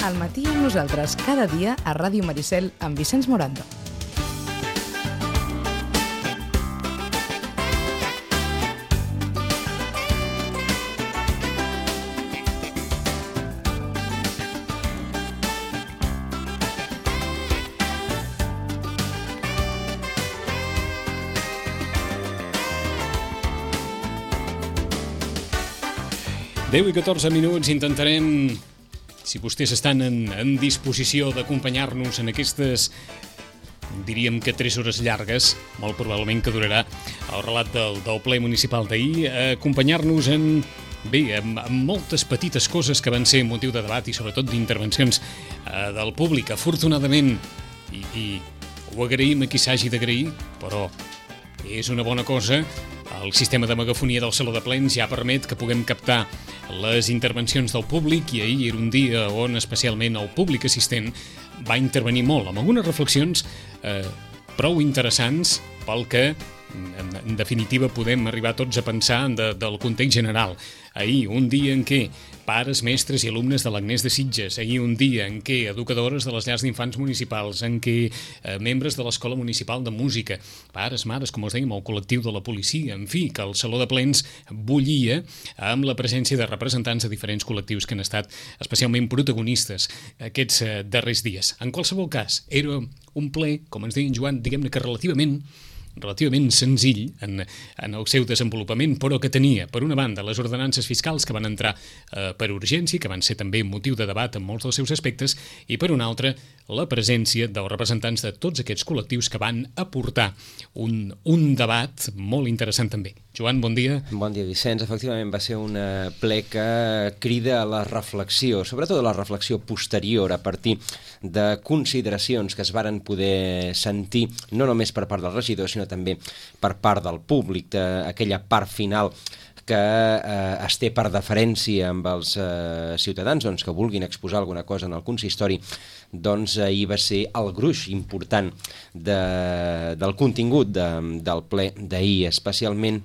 Al matí amb nosaltres, cada dia a Ràdio Maricel amb Vicenç Morando. Deu i 14 minuts, intentarem, si vostès estan en disposició d'acompanyar-nos en aquestes, diríem que 3 hores llargues, molt probablement que durarà el relat del ple municipal d'ahir, acompanyar-nos en moltes petites coses que van ser motiu de debat i sobretot d'intervencions del públic. Afortunadament, i ho agraïm a qui s'hagi d'agrair, però és una bona cosa, el sistema de megafonia del Saló de Plens ja permet que puguem captar les intervencions del públic i ahir era un dia on especialment el públic assistent va intervenir molt, amb algunes reflexions prou interessants pel que en definitiva podem arribar tots a pensar del context general. Ahir, un dia en què pares, mestres i alumnes de l'Agnès de Sitges, ahir un dia en què educadores de les llars d'infants municipals, en què membres de l'Escola Municipal de Música, pares, mares, com us dèiem, el col·lectiu de la policia, en fi, que el Saló de Plens bullia amb la presència de representants de diferents col·lectius que han estat especialment protagonistes aquests darrers dies. En qualsevol cas, era un ple, com ens deia en Joan, diguem-ne que relativament senzill en el seu desenvolupament, però que tenia, per una banda, les ordenances fiscals que van entrar per urgència, que van ser també motiu de debat en molts dels seus aspectes, i per una altra, la presència dels representants de tots aquests col·lectius que van aportar un debat molt interessant també. Joan, bon dia. Bon dia, Vicenç. Efectivament, va ser un ple que crida a la reflexió, sobretot a la reflexió posterior, a partir de consideracions que es varen poder sentir, no només per part del regidor, sinó també per part del públic, d'aquella part final que es té per deferència amb els ciutadans que vulguin exposar alguna cosa en el consistori. Doncs ahir va ser el gruix important del contingut del ple d'ahir, especialment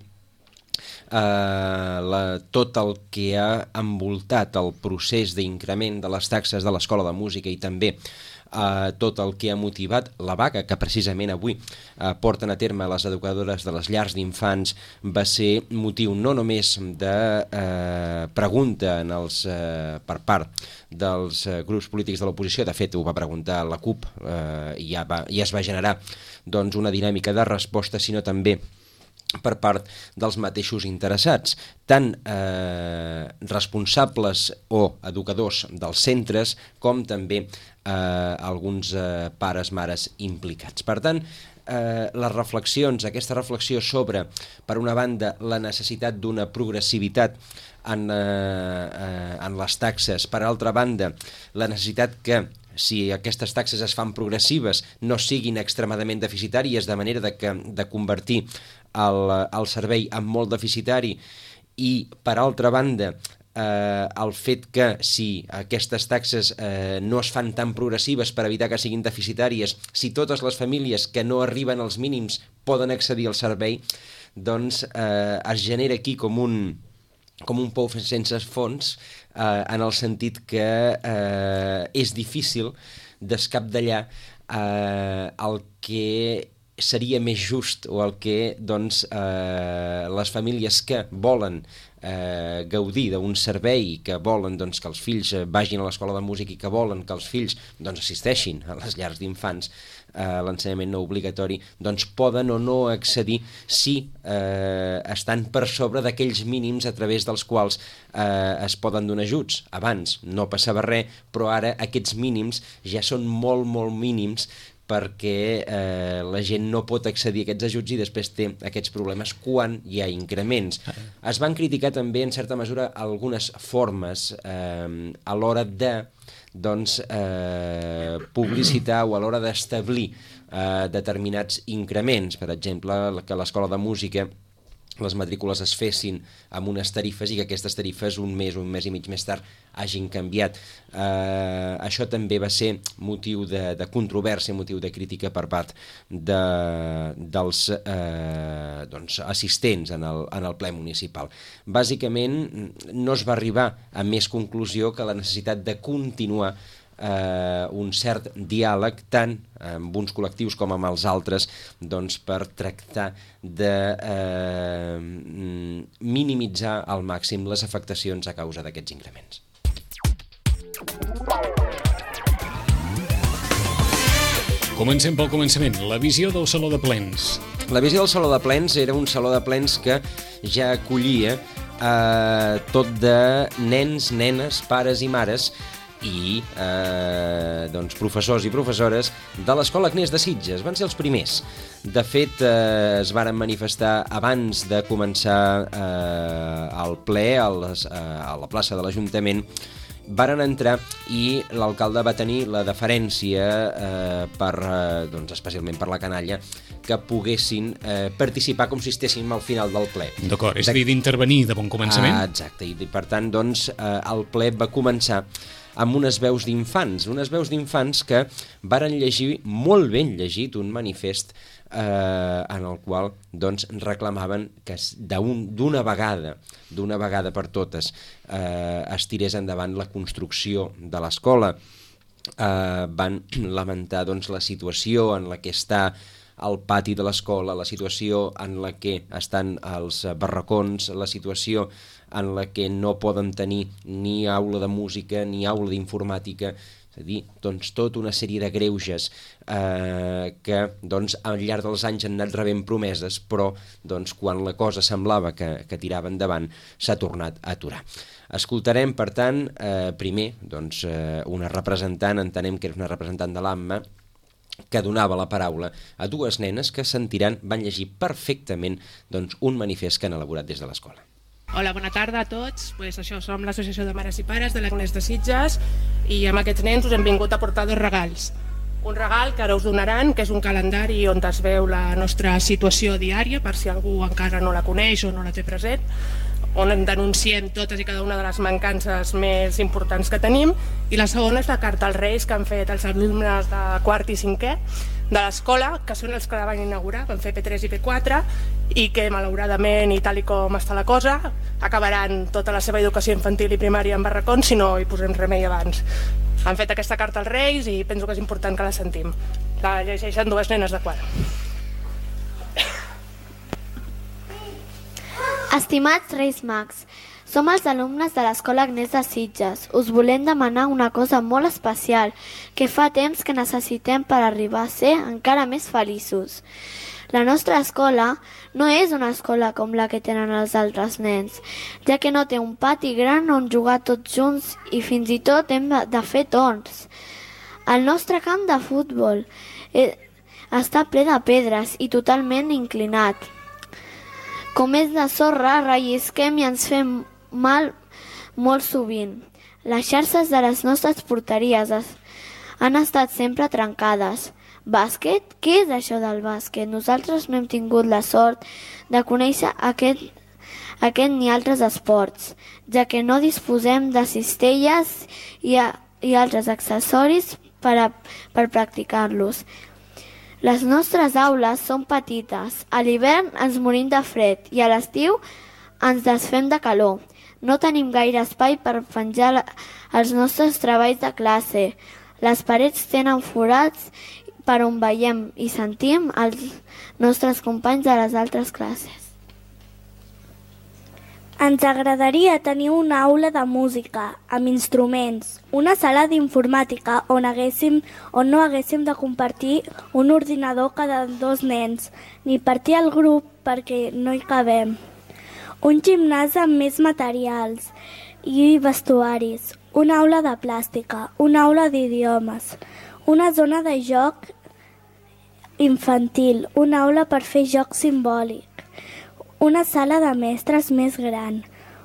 tot el que ha envoltat el procés d'increment de les taxes de l'Escola de Música i també tot el que ha motivat la vaga que precisament avui porten a terme les educadores de les llars d'infants va ser motiu no només de pregunta per part dels grups polítics de l'oposició, de fet ho va preguntar la CUP i ja es va generar una dinàmica de resposta, sinó també per part dels mateixos interessats, tant responsables o educadors dels centres com també alguns pares, mares implicats. Per tant, aquesta reflexió sobre, per una banda, la necessitat d'una progressivitat en les taxes, per altra banda, la necessitat que si aquestes taxes es fan progressives no siguin extremadament deficitàries, de manera de convertir el servei en molt deficitari, i per altra banda el fet que si aquestes taxes no es fan tan progressives per evitar que siguin deficitàries, si totes les famílies que no arriben als mínims poden accedir al servei, doncs es genera aquí com un pou sense fons, en el sentit que és difícil d'escapdallar el que seria més just o el que les famílies que volen gaudir d'un servei, que volen que els fills vagin a l'escola de música i que volen que els fills assisteixin a les llars d'infants, l'ensenyament no obligatori, poden o no accedir si estan per sobre d'aquells mínims a través dels quals es poden donar ajuts. Abans no passava res, però ara aquests mínims ja són molt, molt mínims perquè la gent no pot accedir a aquests ajuts i després té aquests problemes quan hi ha increments. Es van criticar també, en certa mesura, algunes formes a l'hora de publicitar o a l'hora d'establir determinats increments. Per exemple, que l'Escola de Música les matrícules es fessin amb unes tarifes i que aquestes tarifes un mes i mig més tard hagin canviat. Això també va ser motiu de controvèrsia, motiu de crítica per part dels assistents en el ple municipal. Bàsicament no es va arribar a més conclusió que la necessitat de continuar un cert diàleg tant amb uns col·lectius com amb els altres, doncs, per tractar de minimitzar al màxim les afectacions a causa d'aquests increments. Comencem pel començament. La visió del Saló de Plens. La visió del Saló de Plens era un saló de plens que ja acollia tot de nens, nenes, pares i mares i doncs, professors i professores de l'Escola Agnès de Sitges. Van ser els primers. De fet, es varen manifestar abans de començar el ple a la plaça de l'Ajuntament. Varen entrar i l'alcalde va tenir la deferència, doncs, especialment per la canalla, que poguessin participar com si estéssim al final del ple. D'acord, és a dir, d'intervenir de bon començament. Exacte, i per tant, doncs, el ple va començar amb unes veus d'infants que varen llegir, molt ben llegit, un manifest en el qual doncs, reclamaven que d'una vegada per totes es tirés endavant la construcció de l'escola. Van lamentar doncs, la situació en la que està el pati de l'escola, la situació en la que estan els barracons, la situació en la que no poden tenir ni aula de música ni aula d'informàtica. És a dir, doncs, tota una sèrie de greuges que doncs, al llarg dels anys han anat rebent promeses, però doncs, quan la cosa semblava que tirava endavant s'ha tornat a aturar. Escoltarem, per tant, primer doncs, una representant, entenem que era una representant de l'AMMA, que donava la paraula a dues nenes que van llegir perfectament doncs, un manifest que han elaborat des de l'escola. Hola, bona tarda a tots. Això, som l'Associació de Mares i Pares de l'Agnès de Sitges i amb aquests nens us hem vingut a portar 2 regals. Un regal que ara us donaran, que és un calendari on es veu la nostra situació diària, per si algú encara no la coneix o no la té present, on denunciem totes i cada una de les mancances més importants que tenim, i la segona és la carta als Reis que han fet els alumnes de quart i cinquè de l'escola, que són els que la van inaugurar, van fer P3 i P4, i que malauradament, i tal i com està la cosa, acabaran tota la seva educació infantil i primària en barracons si no hi posem remei abans. Han fet aquesta carta als Reis i penso que és important que la sentim. La llegeixen 2 nenes de quart. Estimats Reis Mags, som els alumnes de l'Escola Agnès de Sitges. Us volem demanar una cosa molt especial que fa temps que necessitem per arribar a ser encara més feliços. La nostra escola no és una escola com la que tenen els altres nens, ja que no té un pati gran on jugar tots junts i fins i tot hem de fer torns. El nostre camp de futbol està ple de pedres i totalment inclinat. Com és de sorra, rellisquem i ens fem mal molt sovint. Les xarxes de les nostres porteries han estat sempre trencades. Bàsquet? Què és això del bàsquet? Nosaltres no hem tingut la sort de conèixer aquest ni altres esports, ja que no disposem de cistelles i altres accessoris per practicar-los. Les nostres aules són petites, a l'hivern ens morim de fred i a l'estiu ens desfem de calor. No tenim gaire espai per penjar els nostres treballs de classe. Les parets tenen forats per on veiem i sentim els nostres companys de les altres classes. Ens agradaria tenir una aula de música, amb instruments, una sala d'informàtica on no haguéssim de compartir un ordinador cada 2 nens, ni partir el grup perquè no hi cabem. Un gimnàs amb més materials i vestuaris, una aula de plàstica, una aula d'idiomes, una zona de joc infantil, una aula per fer joc simbòlic, una sala de mestres més gran,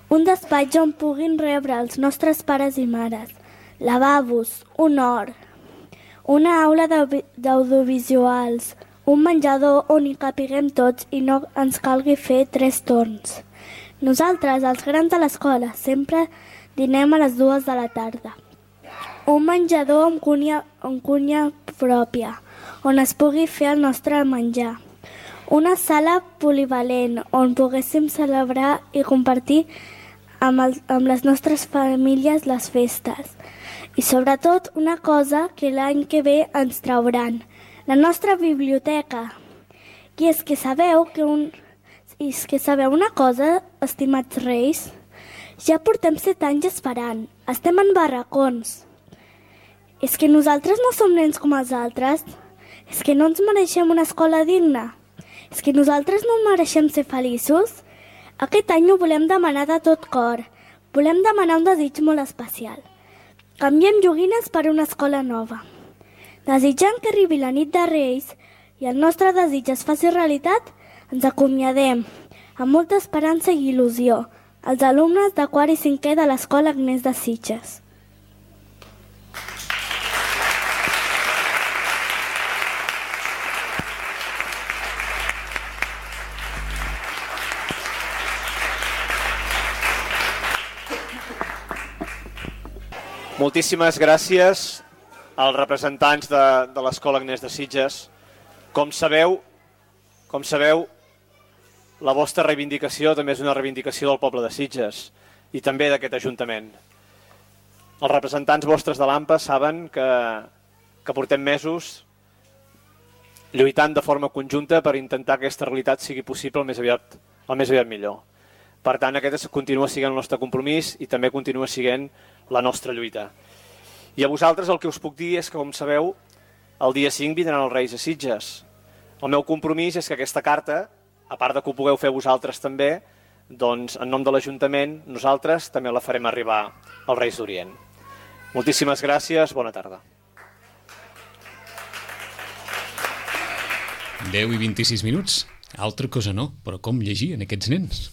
un despatx on puguin rebre els nostres pares i mares, lavabos, un hort, una aula d'audiovisuals, un menjador on hi capiguem tots i no ens calgui fer 3 torns. Nosaltres, els grans de l'escola, sempre dinem a les 2 de la tarda. Un menjador amb cuina pròpia, on es pugui fer el nostre menjar. Una sala polivalent on poguéssim celebrar i compartir amb les nostres famílies les festes. I sobretot una cosa que l'any que ve ens trauran, la nostra biblioteca. I és que sabeu una cosa, estimats reis? Ja portem 7 anys esperant, estem en barracons. És que nosaltres no som nens com els altres? És que no ens mereixem una escola digna? És que nosaltres no mereixem ser feliços? Aquest any ho volem demanar de tot cor. Volem demanar un desig molt especial. Canviem joguines per una escola nova. Desitjant que arribi la nit de Reis i el nostre desig es faci realitat, ens acomiadem, amb molta esperança i il·lusió, els alumnes de quart i cinquè de l'Escola Agnès de Sitges. Moltíssimes gràcies als representants de l'Escola Agnès de Sitges. Com sabeu, la vostra reivindicació també és una reivindicació del poble de Sitges i també d'aquest Ajuntament. Els representants vostres de l'AMPA saben que portem mesos lluitant de forma conjunta per intentar que aquesta realitat sigui possible el més aviat millor. Per tant, aquest continua sent el nostre compromís i també continua sent la nostra lluita. I a vosaltres el que us puc dir és que, com sabeu, el dia 5 vindran els Reis a Sitges. El meu compromís és que aquesta carta, a part de que ho pugueu fer vosaltres també, doncs en nom de l'Ajuntament nosaltres també la farem arribar als Reis d'Orient. Moltíssimes gràcies, bona tarda. 10 i 26 minuts. Altra cosa no, però com llegien aquests nens?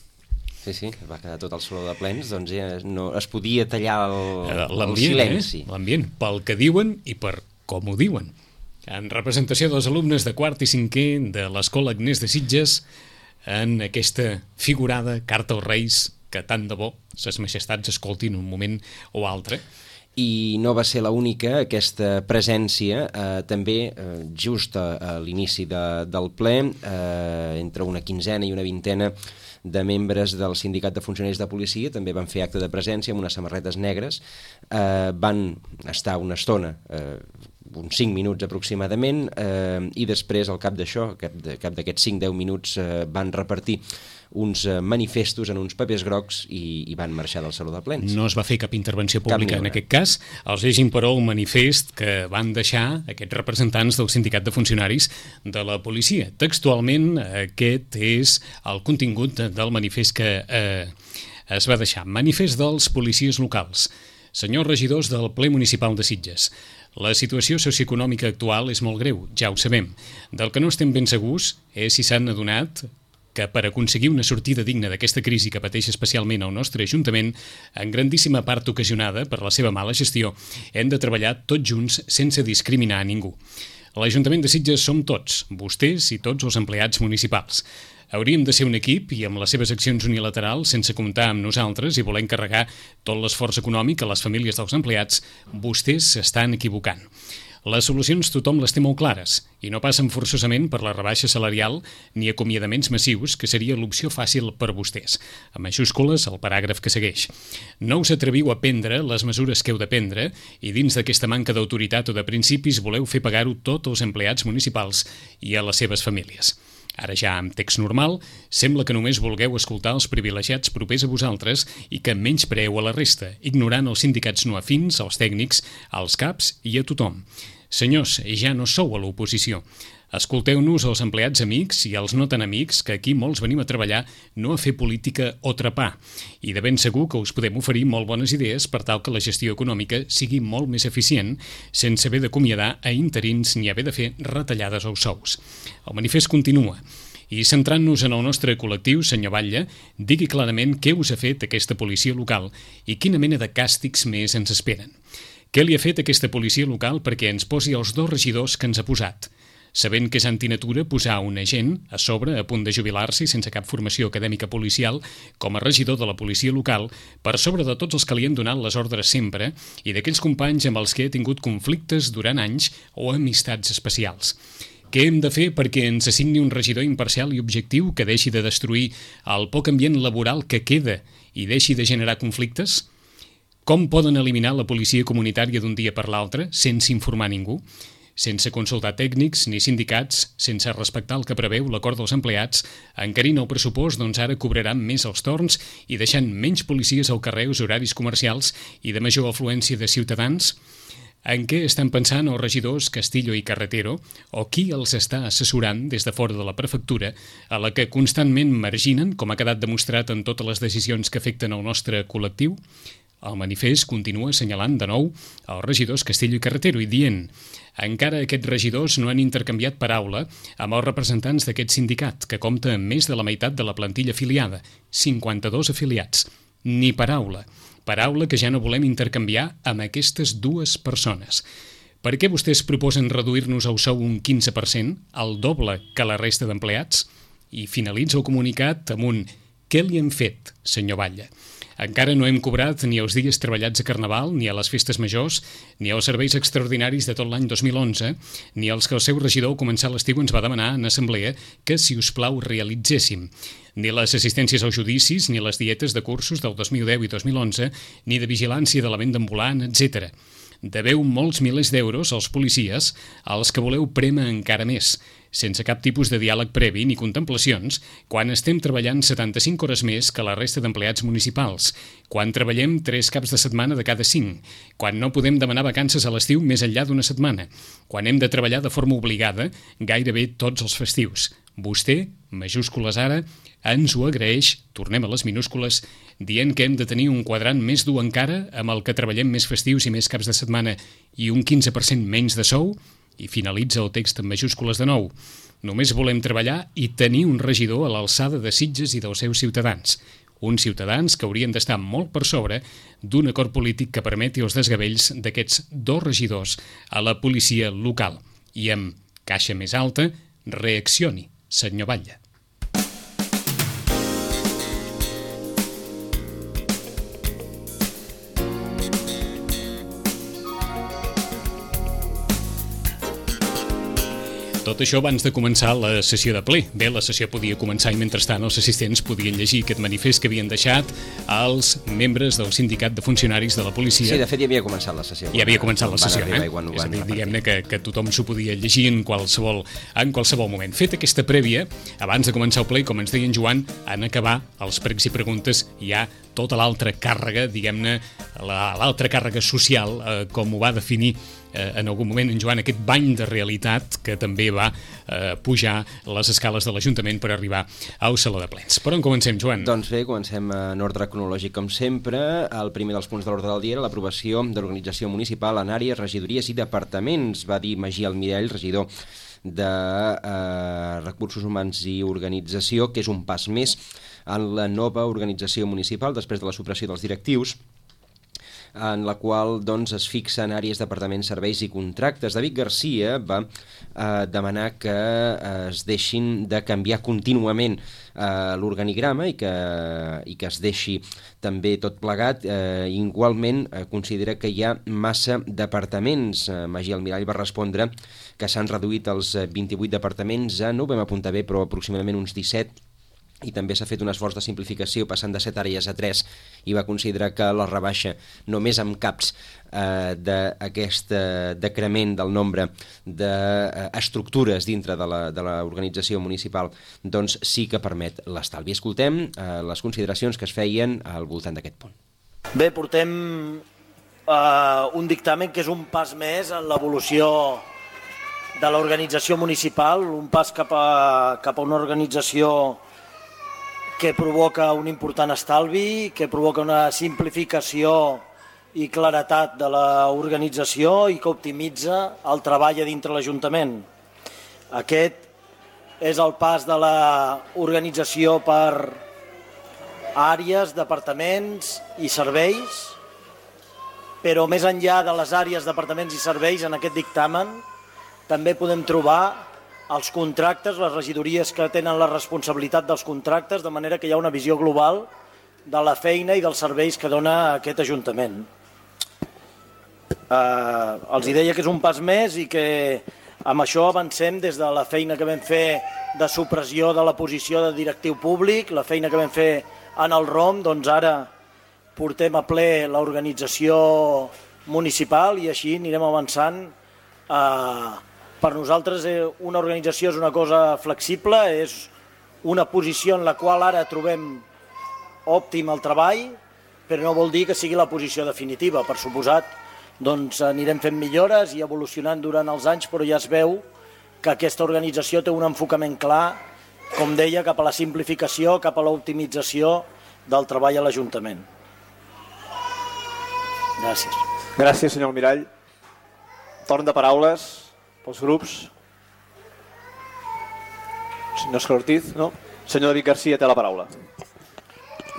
Sí, va quedar tot el saló de plens, doncs ja no es podia tallar el silenci. L'ambient, pel que diuen i per com ho diuen. En representació dels alumnes de quart i cinquè de l'Escola Agnès de Sitges, en aquesta figurada carta als Reis que tant de bo ses majestats escoltin un moment o altre. I no va ser l'única, aquesta presència, també just a l'inici del ple, entre una quinzena i una vintena de membres del Sindicat de Funcionaris de Policia també van fer acte de presència amb unes samarretes negres, van estar una estona, uns 5 minuts aproximadament, i després, al cap d'això, al cap d'aquests 5-10 minuts, van repartir uns manifestos en uns papers grocs i van marxar del saló de plens. No es va fer cap intervenció pública en aquest cas. Els llegim, però, el manifest que van deixar aquests representants del Sindicat de Funcionaris de la Policia. Textualment, aquest és el contingut del manifest que es va deixar. Manifest dels policies locals. Senyors regidors del ple municipal de Sitges, la situació socioeconòmica actual és molt greu, ja ho sabem. Del que no estem ben segurs és si s'han adonat que per aconseguir una sortida digna d'aquesta crisi que pateix especialment el nostre Ajuntament, en grandíssima part ocasionada per la seva mala gestió, hem de treballar tots junts sense discriminar a ningú. L'Ajuntament de Sitges som tots, vostès i tots els empleats municipals. Hauríem de ser un equip i amb les seves accions unilaterals, sense comptar amb nosaltres i voler encarregar tot l'esforç econòmic a les famílies dels empleats, vostès s'estan equivocant. Les solucions tothom les té molt clares i no passen forçosament per la rebaixa salarial ni acomiadaments massius, que seria l'opció fàcil per vostès. A majúscules, el paràgraf que segueix. No us atreviu a prendre les mesures que heu de prendre i dins d'aquesta manca d'autoritat o de principis voleu fer pagar-ho tot als empleats municipals i a les seves famílies. Ara ja amb text normal, sembla que només vulgueu escoltar els privilegiats propers a vosaltres i que menyspreeu a la resta, ignorant els sindicats no afins, els tècnics, els caps i a tothom. Senyors, ja no sou a l'oposició. Escolteu-nos els empleats amics i els no tan amics, que aquí molts venim a treballar, no a fer política o trepar. I de ben segur que us podem oferir molt bones idees per tal que la gestió econòmica sigui molt més eficient, sense haver d'acomiadar a interins ni haver de fer retallades als sous. El manifest continua. I centrant-nos en el nostre col·lectiu, senyor Batlle, digui clarament què us ha fet aquesta policia local i quina mena de càstigs més ens esperen. Què li ha fet aquesta policia local perquè ens posi els 2 regidors que ens ha posat? Sabent que és antinatura posar un agent a sobre a punt de jubilar-se i sense cap formació acadèmica policial com a regidor de la policia local per sobre de tots els que li han donat les ordres sempre i d'aquells companys amb els que he tingut conflictes durant anys o amistats especials. Què hem de fer perquè ens assigni un regidor imparcial i objectiu que deixi de destruir el poc ambient laboral que queda i deixi de generar conflictes? Com poden eliminar la policia comunitària d'un dia per l'altre sense informar ningú? Sense consultar tècnics ni sindicats, sense respectar el que preveu l'acord dels empleats, encarint el pressupost, doncs ara cobraran més els torns i deixant menys policies al carrer als horaris comercials i de major afluència de ciutadans? En què estan pensant els regidors Castillo i Carretero o qui els està assessorant des de fora de la prefectura, a la que constantment marginen, com ha quedat demostrat en totes les decisions que afecten el nostre col·lectiu? El manifest continua assenyalant de nou els regidors Castillo i Carretero i dient: encara aquests regidors no han intercanviat paraula amb els representants d'aquest sindicat, que compta amb més de la meitat de la plantilla afiliada, 52 afiliats. Ni paraula. Paraula que ja no volem intercanviar amb aquestes dues persones. Per què vostès proposen reduir-nos el sou un 15%, el doble que la resta d'empleats? I finalitza el comunicat amb un: què li hem fet, senyor Batlle? Encara no hem cobrat ni els dies treballats a Carnaval, ni a les festes majors, ni als serveis extraordinaris de tot l'any 2011, ni els que el seu regidor al començar l'estiu ens va demanar en assemblea que, si us plau, realitzéssim. Ni les assistències als judicis, ni les dietes de cursos del 2010 i 2011, ni de vigilància de la venda ambulant, etc. Deveu molts milers d'euros als policies, als que voleu prémer encara més, sense cap tipus de diàleg previ ni contemplacions, quan estem treballant 75 hores més que la resta d'empleats municipals, quan treballem 3 caps de setmana de cada 5, quan no podem demanar vacances a l'estiu més enllà d'una setmana, quan hem de treballar de forma obligada gairebé tots els festius. Vostè, majúscules ara, ens ho agraeix, tornem a les minúscules, dient que hem de tenir un quadrant més dur encara amb el que treballem més festius i més caps de setmana i un 15% menys de sou. I finalitza el text en majúscules de nou. Només volem treballar i tenir un regidor a l'alçada de Sitges i dels seus ciutadans. Uns ciutadans que haurien d'estar molt per sobre d'un acord polític que permeti els desgavells d'aquests 2 regidors a la policia local. I amb caixa més alta, reaccioni, senyor Batlle. Tot això abans de començar la sessió de ple. Bé, la sessió podia començar i mentrestant els assistents podien llegir aquest manifest que havien deixat als membres del sindicat de funcionaris de la policia. Sí, de fet ja havia començat la sessió. Ja havia començat la sessió, És a dir, diguem-ne que tothom s'ho podia llegir en qualsevol moment. Fet aquesta prèvia, abans de començar el ple, com ens deia en Joan, en acabar els pregs i preguntes hi ha tota l'altra càrrega, diguem-ne, l'altra càrrega social, com ho va definir en algun moment en Joan, aquest bany de realitat que també va pujar les escales de l'Ajuntament per arribar al Saló de Plens. Per on comencem, Joan? Doncs bé, comencem en ordre cronològic com sempre. El primer dels punts de l'ordre del dia era l'aprovació de l'organització municipal en àrees, regidories i departaments, va dir Magí Almirall, regidor de Recursos Humans i Organització, que és un pas més en la nova organització municipal després de la supressió dels directius, en la qual doncs, es fixen àrees, departaments, serveis i contractes. David Garcia va demanar que es deixin de canviar contínuament l'organigrama i que es deixi també tot plegat. Igualment considera que hi ha massa departaments. Magí Almirall va respondre que s'han reduït els 28 departaments a, no ho vam apuntar bé, però aproximadament uns 17, i també s'ha fet un esforç de simplificació passant de 7 àrees a 3 i va considerar que la rebaixa només amb caps d'aquest decrement del nombre d'estructures dintre de l'organització municipal doncs sí que permet l'estalvi. Escoltem les consideracions que es feien al voltant d'aquest punt. Bé, portem un dictamen que és un pas més en l'evolució de l'organització municipal, un pas cap a una organització que provoca un important estalvi, que provoca una simplificació i claretat de l'organització i que optimitza el treball a dintre l'Ajuntament. Aquest és el pas de l'organització per àrees, departaments i serveis, però més enllà de les àrees, departaments i serveis, en aquest dictamen també podem trobar els contractes, les regidories que tenen la responsabilitat dels contractes, de manera que hi ha una visió global de la feina i dels serveis que dona aquest Ajuntament. Els deia que és un pas més i que amb això avancem des de la feina que vam fer de supressió de la posició de directiu públic, la feina que vam fer en el ROM, doncs ara portem a ple l'organització municipal i així anirem avançant. Per nosaltres una organització és una cosa flexible, és una posició en la qual ara trobem òptim el treball, però no vol dir que sigui la posició definitiva. Per suposat, doncs anirem fent millores i evolucionant durant els anys, però ja es veu que aquesta organització té un enfocament clar, com deia, cap a la simplificació, cap a l'optimització del treball a l'Ajuntament. Gràcies. Gràcies, senyor Almirall. Torn de paraules pels grups. Senyor Òscar Ortiz, no? Senyor David Garcia té la paraula.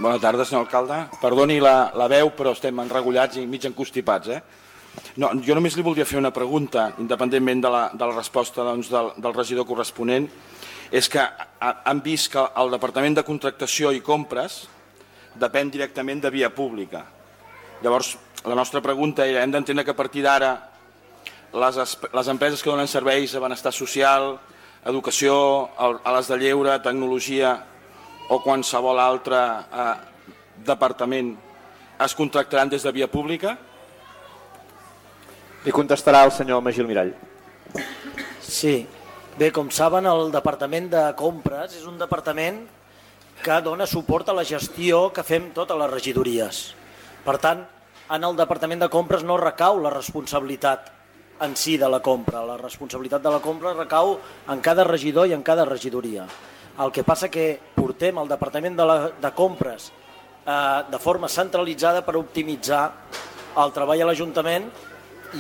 Bona tarda, senyor alcalde. Perdoni la veu, però estem enregullats i mig encostipats. No, jo només li voldria fer una pregunta, independentment de la resposta del regidor corresponent. És que han vist que el Departament de Contractació i Compres depèn directament de Via Pública. Llavors, la nostra pregunta era, hem d'entendre que a partir d'ara les empreses que donen serveis a benestar social, educació, a les de lleure, tecnologia o qualsevol altre departament es contractaran des de Via Pública? Li contestarà el senyor Magí Almirall. Sí. Bé, com saben, el Departament de Compres és un departament que dona suport a la gestió que fem totes les regidories. Per tant, en el Departament de Compres no recau la responsabilitat en si de la compra. La responsabilitat de la compra recau en cada regidor i en cada regidoria. El que passa que portem el Departament de Compres de forma centralitzada per optimitzar el treball a l'Ajuntament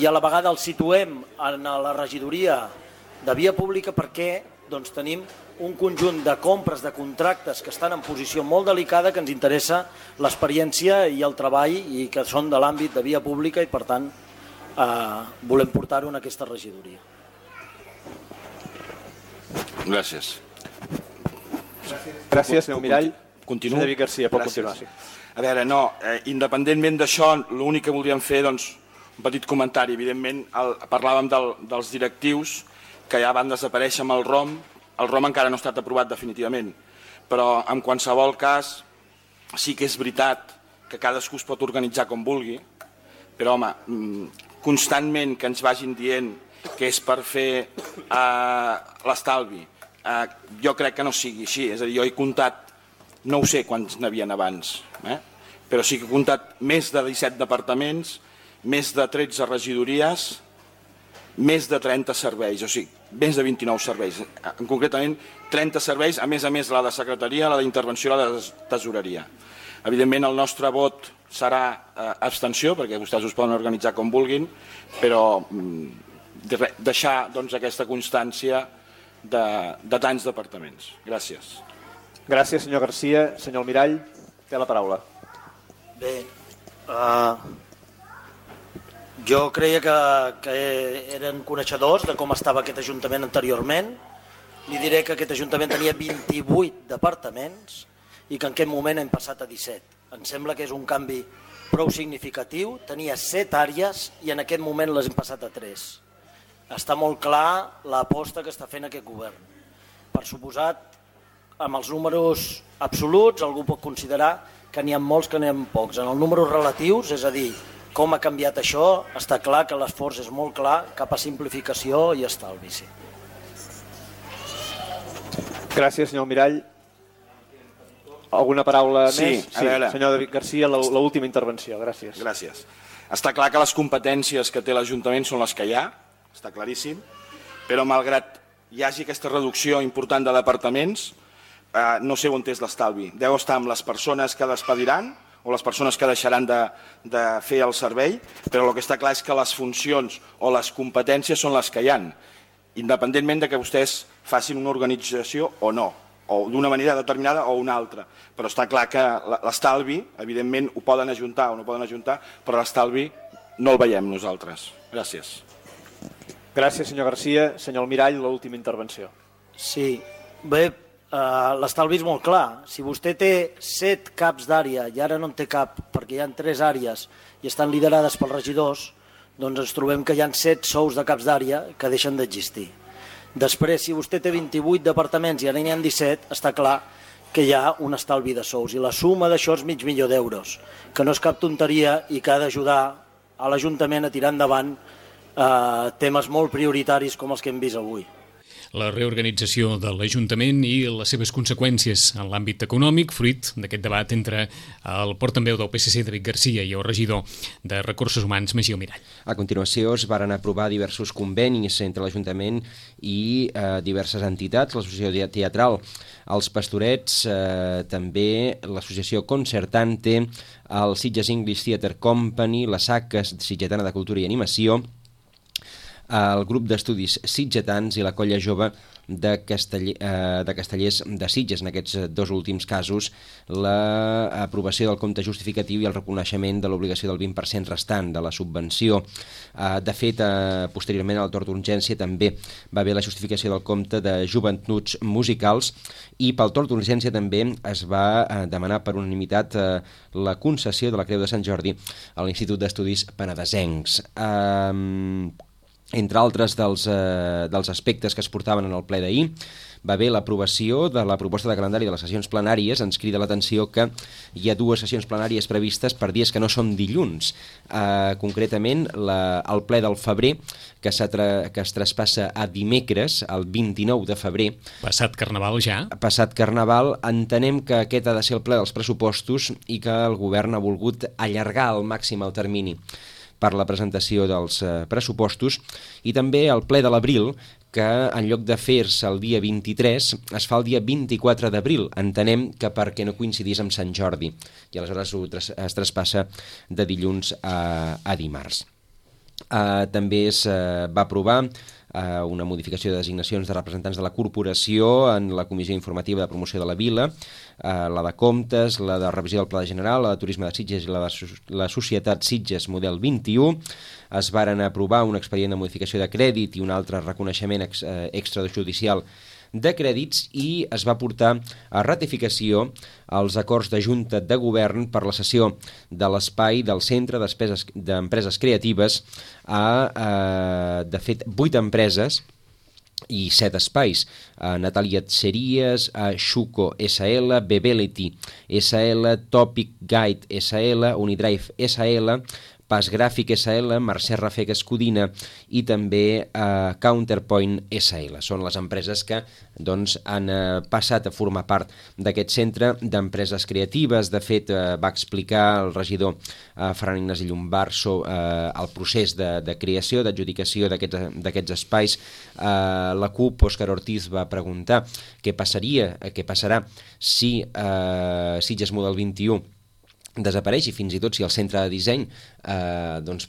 i a la vegada el situem en la regidoria de Via Pública perquè doncs, tenim un conjunt de compres, de contractes que estan en posició molt delicada, que ens interessa l'experiència i el treball i que són de l'àmbit de Via Pública i per tant volem portar-ho en aquesta regidoria. Gràcies. Gràcies, senyor Almirall. Continuo. Senyor David Garcia, pot continuar. Sí. A veure, no, independentment d'això, l'únic que voldríem fer, doncs, un petit comentari. Evidentment, parlàvem dels directius que ja van desaparèixer amb el ROM. El ROM encara no ha estat aprovat definitivament, però en qualsevol cas sí que és veritat que cadascú es pot organitzar com vulgui, però home, constantment que ens vagin dient que és per fer l'estalvi, jo crec que no sigui així. És a dir, jo he comptat, no ho sé quants n'havien abans, però sí que he comptat més de 17 departaments, més de 13 regidories, més de 30 serveis, o sigui, més de 29 serveis. Concretament, 30 serveis, a més la de secretaria, la d'intervenció i la de tesoreria. Evidentment, el nostre vot serà abstenció, perquè vostès us poden organitzar com vulguin, però deixar aquesta constància de tants departaments. Gràcies. Gràcies, senyor Garcia. Senyor Almirall, té la paraula. Bé, jo creia que eren coneixedors de com estava aquest Ajuntament anteriorment. Li diré que aquest Ajuntament tenia 28 departaments i que en aquest moment hem passat a 17. Em sembla que és un canvi prou significatiu. Tenia 7 àrees i en aquest moment les hem passat a 3. Està molt clar l'aposta que està fent aquest govern. Per suposat, amb els números absoluts, algú pot considerar que n'hi ha molts que n'hi ha pocs. En els números relatius, és a dir, com ha canviat això, està clar que l'esforç és molt clar cap a simplificació i estalvi. Sí. Gràcies, senyor Almirall. Alguna paraula més? Sí, senyor David Garcia, l'última intervenció. Gràcies. Gràcies. Està clar que les competències que té l'Ajuntament són les que hi ha, està claríssim, però malgrat hi hagi aquesta reducció important de departaments, no sé on és l'estalvi. Deu estar amb les persones que despediran o les persones que deixaran de fer el servei, però el que està clar és que les funcions o les competències són les que hi ha, independentment de que vostès facin una organització o no, o d'una manera determinada o una altra. Però està clar que l'estalvi, evidentment, ho poden ajuntar o no poden ajuntar, però l'estalvi no el veiem nosaltres. Gràcies. Gràcies, senyor Garcia. Senyor Almirall, l'última intervenció. Sí, bé, l'estalvi és molt clar. Si vostè té 7 caps d'àrea i ara no en té cap perquè hi ha 3 àrees i estan liderades pels regidors, doncs ens trobem que hi ha 7 sous de caps d'àrea que deixen d'existir. Després, si vostè té 28 departaments i ara n'hi ha 17, està clar que hi ha un estalvi de sous. I la suma d'això és $500.000, que no és cap tonteria i que ha d'ajudar a l'Ajuntament a tirar endavant temes molt prioritaris com els que hem vist avui. La reorganització de l'Ajuntament i les seves conseqüències en l'àmbit econòmic, fruit d'aquest debat entre el portaveu del PSC, David Garcia, i el regidor de Recursos Humans, Magí Almirall. A continuació es varen aprovar diversos convenis entre l'Ajuntament i diverses entitats, l'Associació Teatral, els Pastorets, també l'Associació Concertante, el Sitges English Theatre Company, la SACA Sitgetana de Cultura i Animació, el grup d'estudis sitgetans i la colla jove de Castellers de Sitges. En aquests dos últims casos, l'aprovació del compte justificatiu i el reconeixement de l'obligació del 20% restant de la subvenció. De fet, posteriorment al torn d'urgència també va haver la justificació del compte de joventuts musicals i pel torn d'urgència també es va demanar per unanimitat la concessió de la Creu de Sant Jordi a l'Institut d'Estudis Penedesencs. Entre altres dels aspectes que es portaven en el ple d'ahir, va haver l'aprovació de la proposta de calendari de les sessions plenàries. Ens crida l'atenció que hi ha 2 sessions plenàries previstes per dies que no són dilluns. Concretament, el ple del febrer, que es traspassa a dimecres, el 29 de febrer. Passat Carnaval ja. Passat Carnaval. Entenem que aquest ha de ser el ple dels pressupostos i que el govern ha volgut allargar al màxim el termini per la presentació dels pressupostos, i també el ple de l'abril, que en lloc de fer-se el dia 23 es fa el dia 24 d'abril. Entenem que perquè no coincidís amb Sant Jordi, i aleshores es traspassa de dilluns a dimarts. També es va aprovar una modificació de designacions de representants de la corporació en la Comissió Informativa de Promoció de la Vila, la de Comptes, la de Revisió del Pla General, la de Turisme de Sitges i la de la Societat Sitges Model 21. Es varen aprovar un expedient de modificació de crèdit i un altre reconeixement extrajudicial de crèdits, i es va portar a ratificació els acords de Junta de Govern per la cessió de l'espai del Centre d'Empreses Creatives a, de fet, 8 empreses i 7 espais: Natalia Txeries, Xuco SL, Bebelity SL, Topic Guide SL, Unidrive SL, Pas Gràfic SL, Mercè Rafec Escudina i també Counterpoint SL. Són les empreses que han passat a formar part d'aquest centre d'empreses creatives. De fet, va explicar el regidor Ferran Ignasi Llombart el procés de creació, d'adjudicació d'aquests espais. La CUP, Òscar Ortiz, va preguntar què passarà si Sitges Model 21 desapareix, i fins i tot si el centre de disseny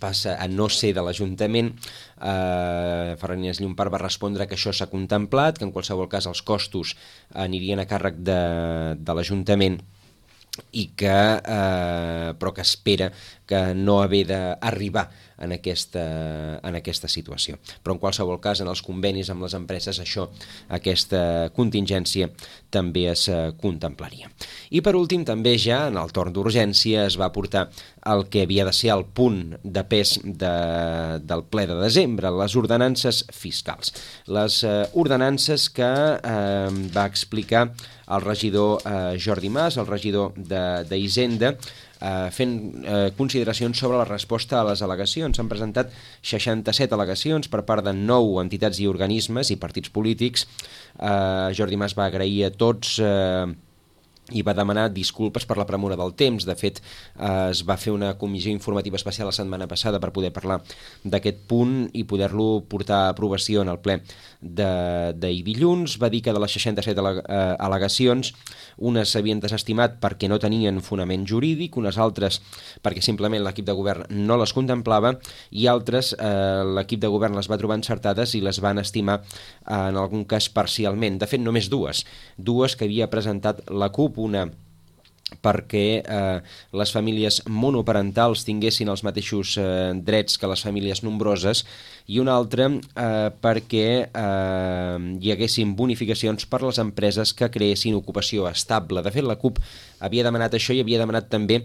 passa a no ser de l'Ajuntament. Ferran Ignasi Llombart va respondre que això s'ha contemplat, que en qualsevol cas els costos anirien a càrrec de l'Ajuntament, i però que espera que no haver d'arribar en aquesta situació. Però en qualsevol cas, en els convenis amb les empreses, aquesta contingència també es contemplaria. I per últim, també ja en el torn d'urgència es va portar el que havia de ser el punt de pes del ple de desembre, les ordenances fiscals. Les ordenances que va explicar el regidor Jordi Mas, el regidor d'Hisenda, fent consideracions sobre la resposta a les al·legacions. S'han presentat 67 al·legacions per part de 9 entitats i organismes i partits polítics. Jordi Mas va agrair a tots i va demanar disculpes per la premura del temps. De fet, es va fer una comissió informativa especial la setmana passada per poder parlar d'aquest punt i poder-lo portar a aprovació en el ple d'ahir dilluns. Va dir que de les 67 al·legacions, unes s'havien desestimat perquè no tenien fonament jurídic, unes altres perquè simplement l'equip de govern no les contemplava, i altres l'equip de govern les va trobar encertades i les van estimar en algun cas parcialment. De fet, només dues que havia presentat la CUP, una perquè les famílies monoparentals tinguessin els mateixos drets que les famílies nombroses, i una altra perquè hi haguessin bonificacions per les empreses que creessin ocupació estable. De fet, la CUP havia demanat això i havia demanat també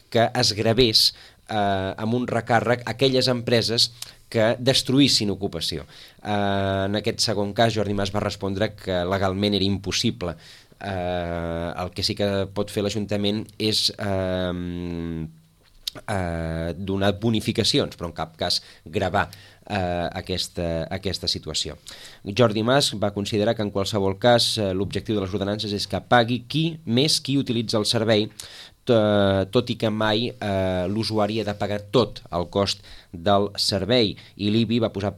que es gravés amb un recàrrec aquelles empreses que destruïssin ocupació. En aquest segon cas, Jordi Mas va respondre que legalment era impossible El que sí que pot fer l'Ajuntament és donar bonificacions, però en cap cas gravar aquesta situació. Jordi Mas va considerar que en qualsevol cas l'objectiu de les ordenances és que pagui qui utilitza el servei, tot i que mai l'usuari ha de pagar tot el cost del servei, i l'IBI va posar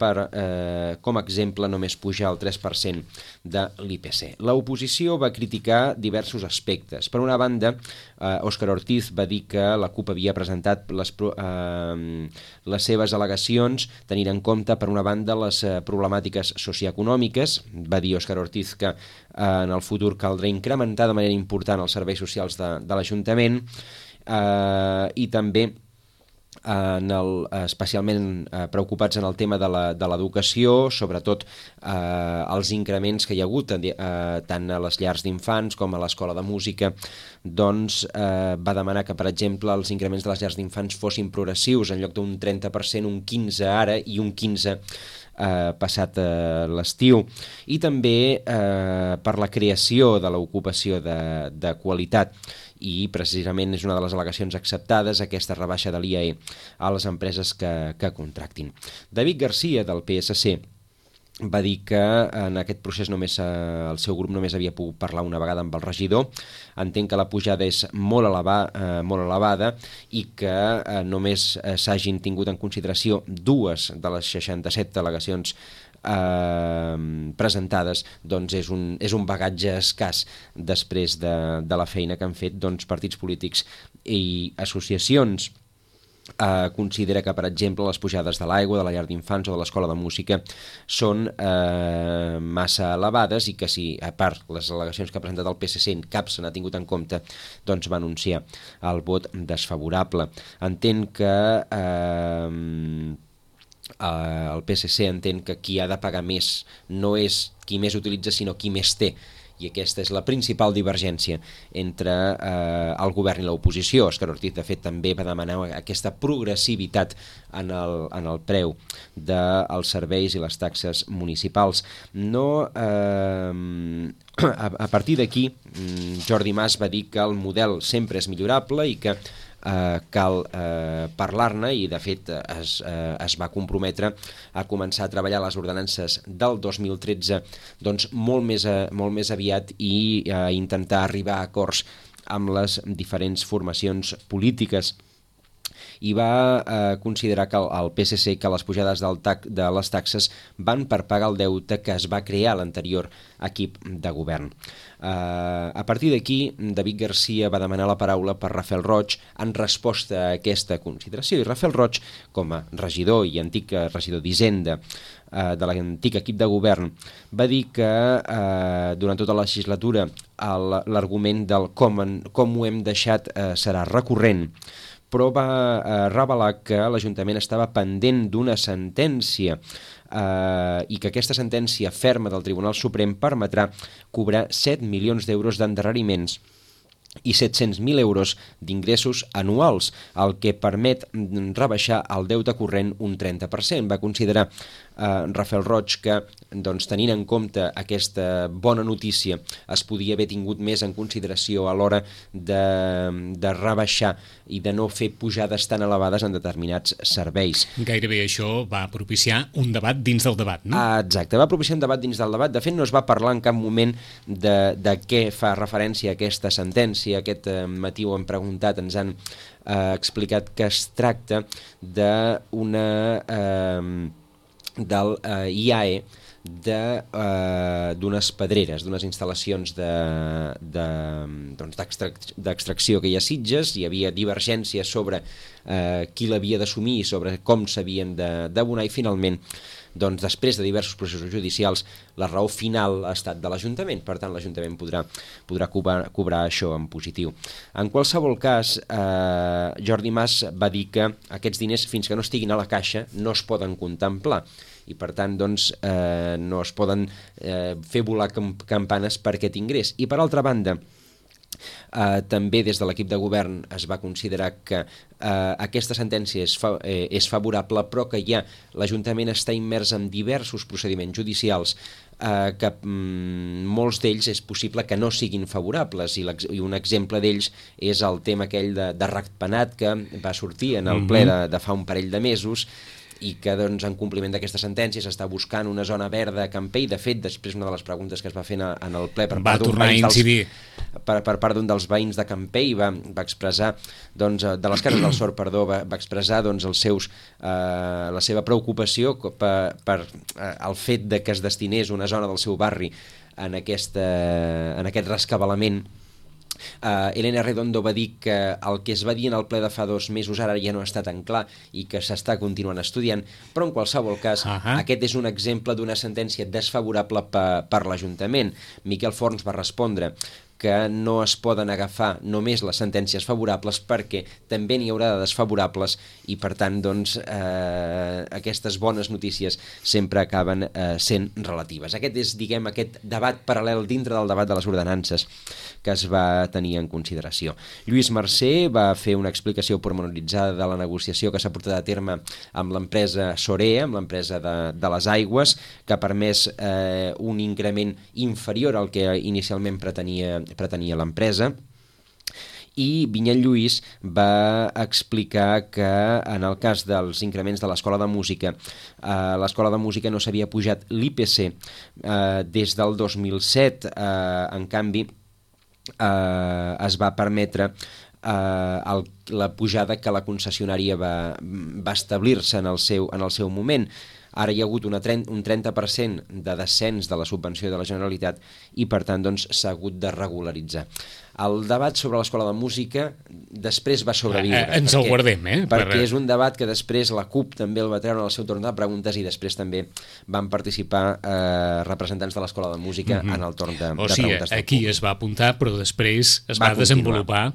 com a exemple només pujar el 3% de l'IPC. L'oposició va criticar diversos aspectes. Per una banda, Òscar Ortiz va dir que la CUP havia presentat les seves al·legacions tenint en compte, per una banda, les problemàtiques socioeconòmiques. Va dir Òscar Ortiz que en el futur caldrà incrementar de manera important els serveis socials de l'Ajuntament, i també especialment preocupats en el tema de l'educació, sobretot els increments que hi ha hagut tant a les llars d'infants com a l'escola de música. Doncs va demanar que, per exemple, els increments de les llars d'infants fossin progressius, en lloc d'un 30%, un 15% ara i un 15% passat l'estiu, i també per la creació de l'ocupació de qualitat, i precisament és una de les al·legacions acceptades, aquesta rebaixa de l'IAE a les empreses que contractin. David Garcia, del PSC, va dir que en aquest procés el seu grup només havia pogut parlar una vegada amb el regidor. Entenc que la pujada és molt elevada i que només s'hagin tingut en consideració 2 de les 67 al·legacions presentades, doncs és un bagatge escàs després de la feina que han fet partits polítics i associacions. Considera que, per exemple, les pujades de l'aigua, de la llar d'infants o de l'escola de música són massa elevades, i que si, a part, les al·legacions que ha presentat el PSC en cap se n'ha tingut en compte, doncs va anunciar el vot desfavorable. Entenc que el PSC entén que qui ha de pagar més no és qui més utilitza, sinó qui més té, i aquesta és la principal divergència entre el govern i l'oposició. Òscar Ortiz, de fet, també va demanar aquesta progressivitat en el preu dels serveis i les taxes municipals. A partir d'aquí, Jordi Mas va dir que el model sempre és millorable i que cal parlar-ne, i de fet es va comprometre a començar a treballar les ordenances del 2013 doncs molt més aviat, i a intentar arribar a acords amb les diferents formacions polítiques. I va considerar que el PSC que les pujades de les taxes van per pagar el deute que es va crear a l'anterior equip de govern. A partir d'aquí, David Garcia va demanar la paraula per Rafael Roig en resposta a aquesta consideració, i Rafael Roig, com a regidor i antic regidor d'Hisenda de l'antic equip de govern, va dir que durant tota la legislatura l'argument del com ho hem deixat serà recurrent, però va revelar que l'Ajuntament estava pendent d'una sentència i que aquesta sentència ferma del Tribunal Suprem permetrà cobrar 7 milions d'euros d'endarreriments i 700.000 euros d'ingressos anuals, el que permet rebaixar el deute corrent un 30%. Va considerar Rafael Roig que, tenint en compte aquesta bona notícia, es podia haver tingut més en consideració a l'hora de rebaixar i de no fer pujades tan elevades en determinats serveis. Gairebé això va propiciar un debat dins del debat, no? Exacte, va propiciar un debat dins del debat. De fet, no es va parlar en cap moment de què fa referència a aquesta sentència. Aquest matí ho hem preguntat, ens han explicat que es tracta del IAE d'unes pedreres, d'unes instal·lacions d'extracció que hi ha a Sitges. Hi havia divergència sobre qui l'havia d'assumir i sobre com s'havien d'abonar, i finalment, després de diversos processos judicials, la raó final ha estat de l'Ajuntament. Per tant, l'Ajuntament podrà cobrar això en positiu. En qualsevol cas, Jordi Mas va dir que aquests diners, fins que no estiguin a la caixa, no es poden contemplar, i per tant no es poden fer volar campanes per aquest ingrés. I per altra banda, També des de l'equip de govern es va considerar que aquesta sentència és favorable, però que ja l'Ajuntament està immers en diversos procediments judicials que molts d'ells és possible que no siguin favorables, i un exemple d'ells és el tema aquell de ratpenat que va sortir en el ple de fa un parell de mesos, i que doncs, en compliment d'aquesta sentència s'està buscant una zona verda a Campell. De fet, després una de les preguntes que es va fer en el ple per part d'un dels veïns de Campell va expressar, doncs, de les Cases del Sord, perdó, va expressar doncs, la seva preocupació per el fet de que es destinés una zona del seu barri en aquest rescabalament. Elena Redondo va dir que el que es va dir en el ple de fa 2 mesos ara ja no està tan clar i que s'està continuant estudiant, però en qualsevol cas aquest és un exemple d'una sentència desfavorable per l'Ajuntament. Miquel Forns va respondre que no es poden agafar només les sentències favorables perquè també n'hi haurà de desfavorables, i per tant doncs, aquestes bones notícies sempre acaben sent relatives. Aquest és, diguem, aquest debat paral·lel dintre del debat de les ordenances que es va tenir en consideració. Lluís Mercè va fer una explicació pormenoritzada de la negociació que s'ha portat a terme amb l'empresa Sorea, amb l'empresa de les aigües, que ha permès un increment inferior al que inicialment pretenia l'empresa. I Vinyet Lluís va explicar que en el cas dels increments de l'Escola de Música, l'Escola de Música no s'havia pujat l'IPC des del 2007, en canvi es va permetre la pujada que la concessionària va establir-se en el seu moment. Ara hi ha hagut un 30% de descens de la subvenció de la Generalitat i, per tant, doncs, s'ha hagut de regularitzar. El debat sobre l'Escola de Música després va sobreviure. Ens el guardem, Perquè és un debat que després la CUP també el va treure en el seu torn de preguntes, i després també van participar representants de l'Escola de Música en el torn de preguntes. O sigui, aquí es va apuntar, però després es va desenvolupar.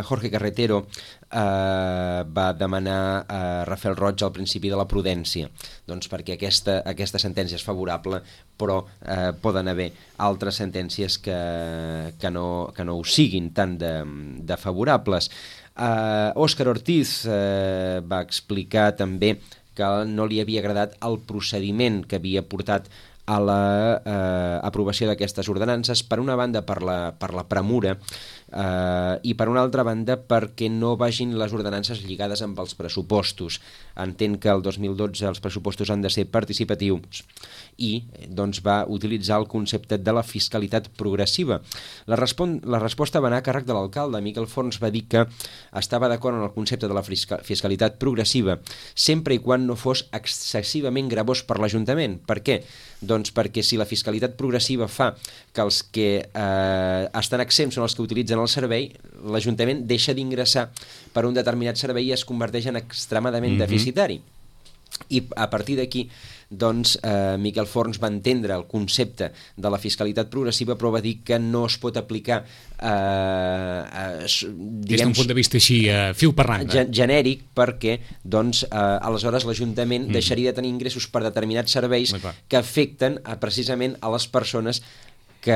Jorge Carretero va demanar a Rafael Roig al principi de la prudència, doncs perquè aquesta sentència és favorable, però poden haver altres sentències que no ho siguin tant de favorables. Òscar Ortiz va explicar també que no li havia agradat el procediment que havia portat a l'aprovació d'aquestes ordenances, per una banda per la premura, i per una altra banda perquè no vagin les ordenances lligades amb els pressupostos. Entén que el 2012 els pressupostos han de ser participatius i doncs va utilitzar el concepte de la fiscalitat progressiva. La resposta va anar a càrrec de l'alcalde. Miquel Forns va dir que estava d'acord amb el concepte de la fiscalitat progressiva sempre i quan no fos excessivament gravós per l'Ajuntament. Per què? Doncs perquè si la fiscalitat progressiva fa que els que estan exempts són els que utilitzen el servei, l'Ajuntament deixa d'ingressar per un determinat servei i es converteix en extremadament deficitari. I a partir d'aquí, doncs, Miquel Forns va entendre el concepte de la fiscalitat progressiva, però va dir que no es pot aplicar des d'un punt de vista així fiu per randa, genèric, perquè doncs, aleshores l'Ajuntament deixaria de tenir ingressos per determinats serveis que afecten precisament a les persones que...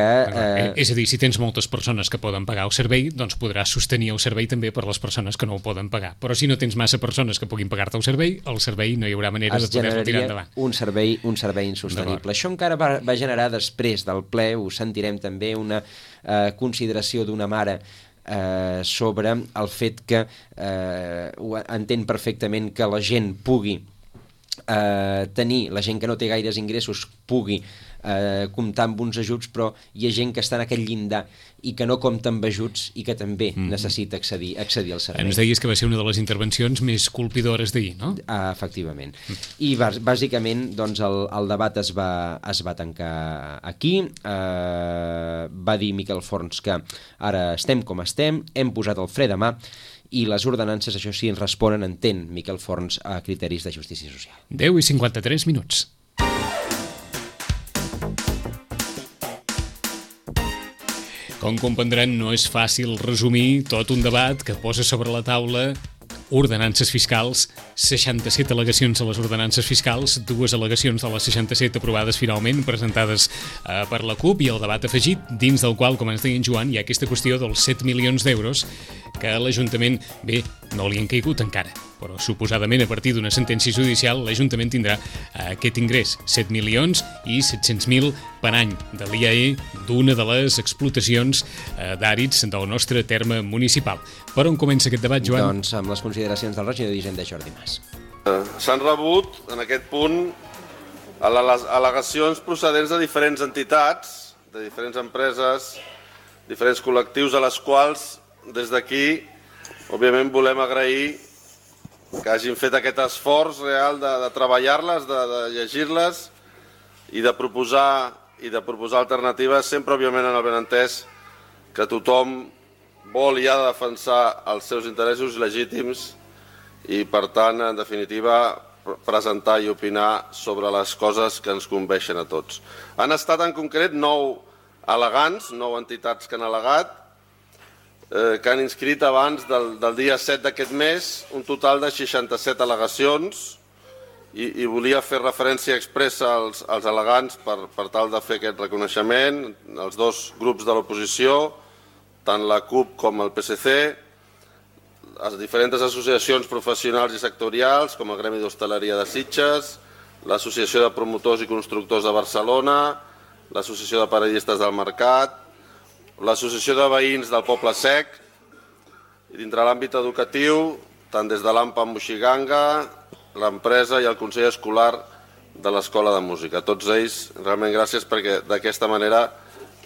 És a dir, si tens moltes persones que poden pagar el servei, doncs podràs sostenir el servei també per les persones que no ho poden pagar. Però si no tens massa persones que puguin pagar-te el servei no hi haurà manera de poder-lo tirar endavant. Un servei insostenible. Això encara va generar després del ple, ho sentirem també, una consideració d'una mare sobre el fet que entén perfectament que la gent pugui tenir, la gent que no té gaires ingressos pugui comptar amb uns ajuts, però hi ha gent que està en aquell llindar i que no compta amb ajuts i que també necessita accedir al servei. Ens deies que va ser una de les intervencions més colpidores d'ahir, no? Efectivament. I bàsicament doncs, el debat es va tancar aquí. Va dir Miquel Forns que ara estem com estem, hem posat el fre de mà i les ordenances, això sí, ens responen, entén Miquel Forns, a criteris de justícia social. 10:53 minuts. Com comprendran, no és fàcil resumir tot un debat que posa sobre la taula ordenances fiscals, 67 al·legacions a les ordenances fiscals, 2 al·legacions de les 67 aprovades finalment, presentades per la CUP, i el debat afegit, dins del qual, com ens deia en Joan, hi ha aquesta qüestió dels 7 milions d'euros que l'Ajuntament, bé, no li han caigut encara, però suposadament a partir d'una sentència judicial l'Ajuntament tindrà aquest ingrés, 7 milions i 700.000 per any de l'IAE d'una de les explotacions d'àrids del nostre terme municipal. Per on comença aquest debat, Joan? Doncs amb les consideracions del regidor d'Hisenda, Jordi Mas. S'han rebut, en aquest punt, al·legacions procedents de diferents entitats, de diferents empreses, diferents col·lectius, a les quals, des d'aquí, òbviament volem agrair que hagin fet aquest esforç real de treballar-les, de llegir-les i de proposar alternatives, sempre, òbviament, en el benentès que tothom vol i ha de defensar els seus interessos legítims i, per tant, en definitiva, presentar i opinar sobre les coses que ens conveixen a tots. Han estat, en concret, 9 al·legants, 9 entitats que han al·legat, que han inscrit abans del dia 7 d'aquest mes un total de 67 al·legacions, i volia fer referència expressa als al·legants per tal de fer aquest reconeixement, els dos grups de l'oposició, tant la CUP com el PSC, les diferents associacions professionals i sectorials, com el Gremi d'Hostaleria de Sitges, l'Associació de Promotors i Constructors de Barcelona, l'Associació de Paradistes del Mercat, l'Associació de Veïns del Poble Sec, i dintre l'àmbit educatiu, tant des de l'AMPA Moixiganga, l'empresa i el Consell Escolar de l'Escola de Música. Tots ells, realment gràcies, perquè d'aquesta manera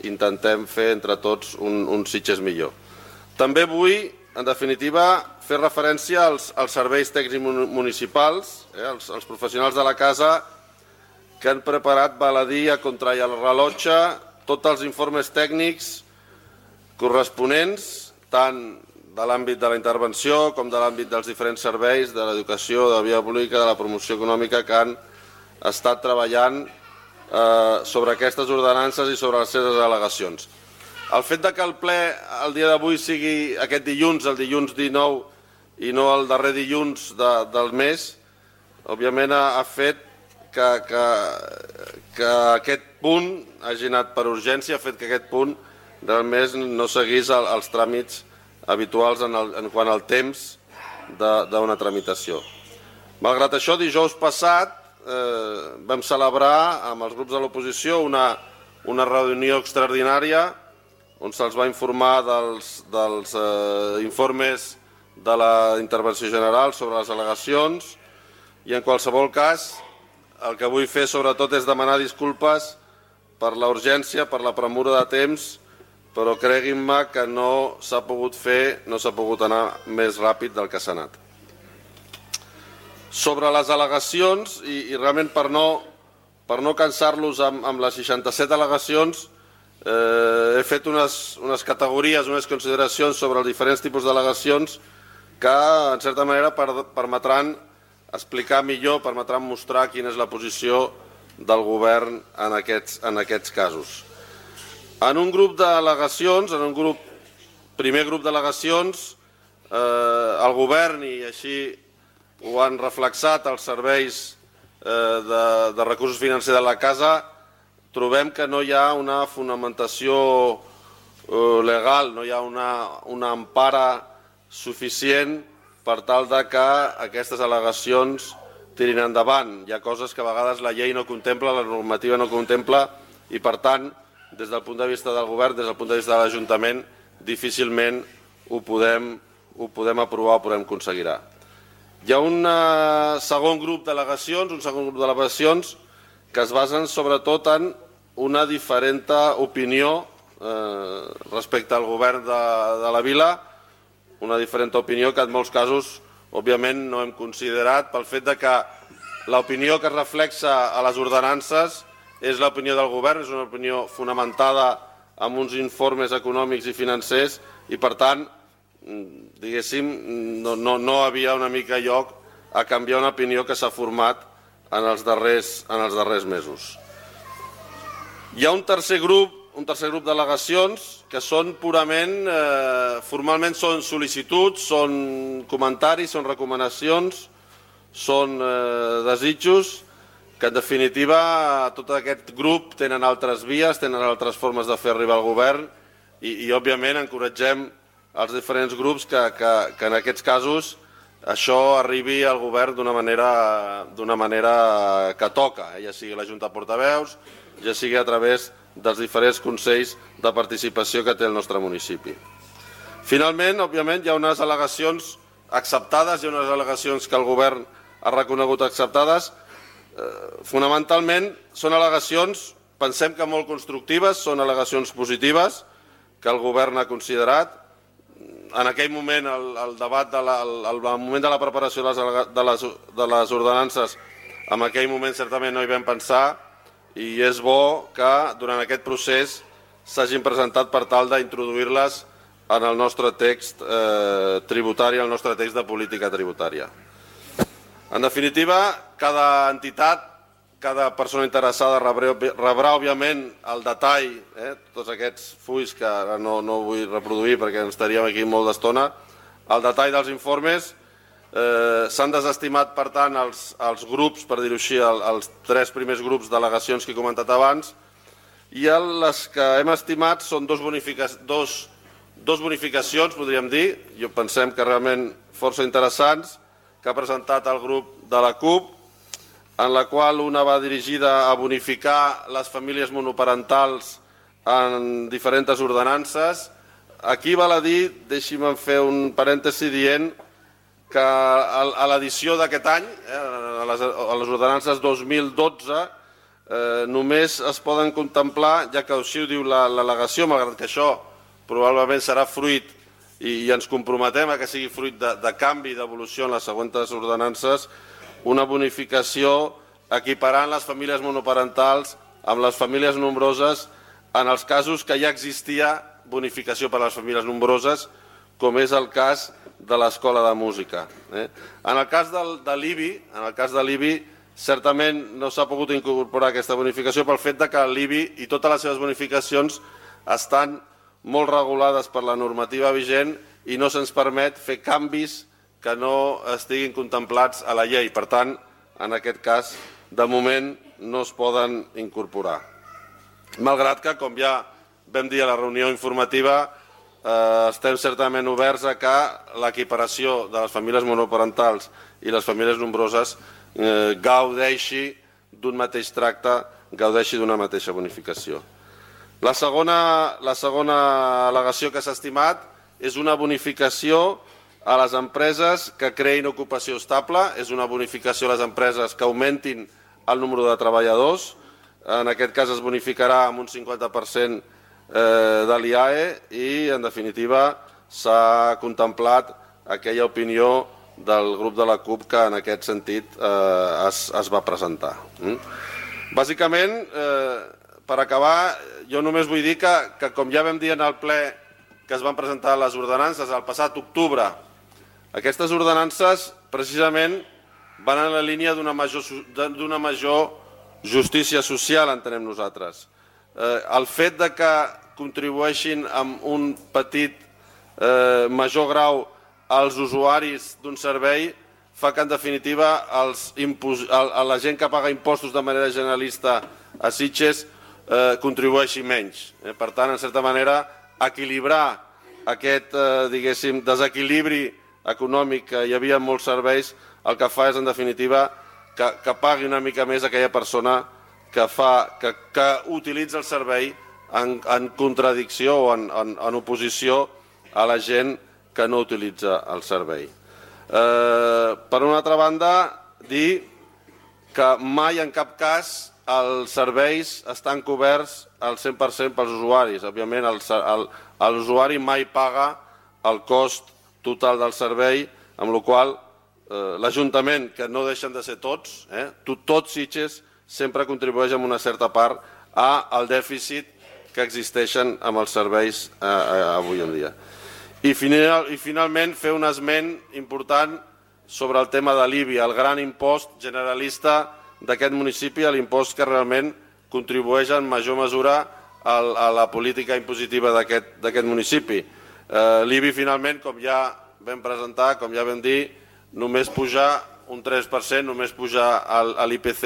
intentem fer entre tots un Sitges millor. També vull, en definitiva, fer referència als serveis tècnics municipals, els professionals de la casa que han preparat baladí a contra i al rellotge tots els informes tècnics corresponents, tant de l'àmbit de la intervenció com de l'àmbit dels diferents serveis, de l'educació, de la via pública, de la promoció econòmica, que han estat treballant sobre aquestes ordenances i sobre les seves al·legacions. El fet que el ple el dia d'avui sigui aquest dilluns, el dilluns 19, i no el darrer dilluns del mes, òbviament ha fet que aquest punt hagi anat per urgència, ha fet que aquest punt realment no seguís els tràmits habituals en quant al temps d'una tramitació. Malgrat això, dijous passat vam celebrar amb els grups de l'oposició una reunió extraordinària on se'ls va informar dels informes de la intervenció general sobre les al·legacions, i en qualsevol cas el que vull fer sobretot és demanar disculpes per la urgència, per la premura de temps, però creguin-me que no s'ha pogut fer, no s'ha pogut anar més ràpid del que s'ha anat. Sobre les al·legacions, i realment per no cansar-los amb les 67 al·legacions, he fet unes categories, unes consideracions sobre els diferents tipus d'al·legacions que, en certa manera, permetran explicar millor, permetran mostrar quina és la posició del govern en aquests casos. En un grup d'al·legacions, en un primer grup d'al·legacions, el govern, i així ho han reflexat els serveis de recursos financers de la casa, trobem que no hi ha una fonamentació legal, no hi ha una empara suficient per tal que aquestes al·legacions tirin endavant. Hi ha coses que a vegades la llei no contempla, la normativa no contempla, i per tant, des del punt de vista del govern, des del punt de vista de l'Ajuntament, difícilment ho podem aprovar o podem aconseguir. Hi ha un segon grup d'al·legacions, que es basen sobretot en una diferent opinió respecte al govern de la vila, una diferent opinió que en molts casos, òbviament, no hem considerat pel fet que l'opinió que es reflexa a les ordenances és l'opinió del govern, és una opinió fonamentada en uns informes econòmics i financers, i per tant, diguéssim, no havia una mica lloc a canviar una opinió que s'ha format en els darrers mesos. Hi ha un tercer grup un tercer grup d'al·legacions que són purament, formalment són sol·licituds, són comentaris, són recomanacions, són desitjos, que en definitiva tot aquest grup tenen altres vies, tenen altres formes de fer arribar al govern i òbviament encoratgem els diferents grups que en aquests casos això arribi al govern d'una manera que toca, ja sigui la Junta de Portaveus, ja sigui a través dels diferents consells de participació que té el nostre municipi. Finalment, òbviament, hi ha unes al·legacions acceptades, hi ha unes al·legacions que el govern ha reconegut acceptades. Fonamentalment són al·legacions, pensem que molt constructives, són al·legacions positives que el govern ha considerat. En aquell moment, el debat, al moment de la preparació de les ordenances, en aquell moment certament no hi vam pensar i és bo que durant aquest procés s'hagin presentat per tal d'introduir-les en el nostre text tributari, el nostre text de política tributària. En definitiva, cada entitat, cada persona interessada rebrà, òbviament, el detall, tots aquests fulls que ara no vull reproduir perquè ens estaríem aquí molt d'estona, el detall dels informes. S'han desestimat, per tant, els grups, per dir-ho així, els 3 primers grups d'al·legacions que he comentat abans, i les que hem estimat són dos bonificacions, podríem dir, i pensem que realment força interessants, que ha presentat el grup de la CUP, en la qual una va dirigida a bonificar les famílies monoparentals en diferents ordenances. Aquí val a dir, deixi'm fer un parèntesi dient que a l'edició d'aquest any, a les ordenances 2012, només es poden contemplar, ja que així ho diu l'al·legació, malgrat que això probablement serà fruit i ens comprometem a que sigui fruit de canvi, d'evolució en les següents ordenances, una bonificació equiparant les famílies monoparentals amb les famílies nombroses en els casos que ja existia bonificació per a les famílies nombroses, com és el cas de l'Escola de Música. En el cas de l'IBI, certament no s'ha pogut incorporar aquesta bonificació pel fet que l'IBI i totes les seves bonificacions estan molt regulades per la normativa vigent i no se'ns permet fer canvis que no estiguin contemplats a la llei. Per tant, en aquest cas, de moment no es poden incorporar. Malgrat que, com ja vam dir a la reunió informativa, estem certament oberts a que l'equiparació de les famílies monoparentals i les famílies nombroses gaudeixi d'un mateix tracte, gaudeixi d'una mateixa bonificació. La segona al·legació que s'ha estimat és una bonificació a les empreses que creïn ocupació estable, és una bonificació a les empreses que augmentin el número de treballadors. En aquest cas es bonificarà amb un 50% de l'IAE i, en definitiva, s'ha contemplat aquella opinió del grup de la CUP que en aquest sentit es va presentar. Bàsicament, per acabar, jo només vull dir que com ja vam dir en el ple que es van presentar les ordenances el passat octubre, aquestes ordenances precisament van en la línia d'una major justícia social, entenem nosaltres. El fet que contribueixin amb un petit major grau als usuaris d'un servei fa que, en definitiva, la gent que paga impostos de manera generalista a Sitges contribueixi menys. Per tant, en certa manera, equilibrar aquest, diguéssim, desequilibri econòmic que hi havia en molts serveis, el que fa és, en definitiva, que pagui una mica més aquella persona que utilitza el servei en contradicció o en oposició a la gent que no utilitza el servei. Per una altra banda, dir que mai en cap cas els serveis estan coberts al 100% pels usuaris. Òbviament, l'usuari mai paga el cost total del servei, amb la qual l'Ajuntament, que no deixen de ser tots, tots Sitges, sempre contribueix amb una certa part al dèficit que existeixen amb els serveis avui en dia. I finalment fer un esment important sobre el tema de l'IBI, el gran impost generalista d'aquest municipi, l'impost que realment contribueix en major mesura a la política impositiva d'aquest municipi. L'IBI finalment, com ja vam presentar, com ja vam dir, només pujar un 3%, només pujar a l'IPC,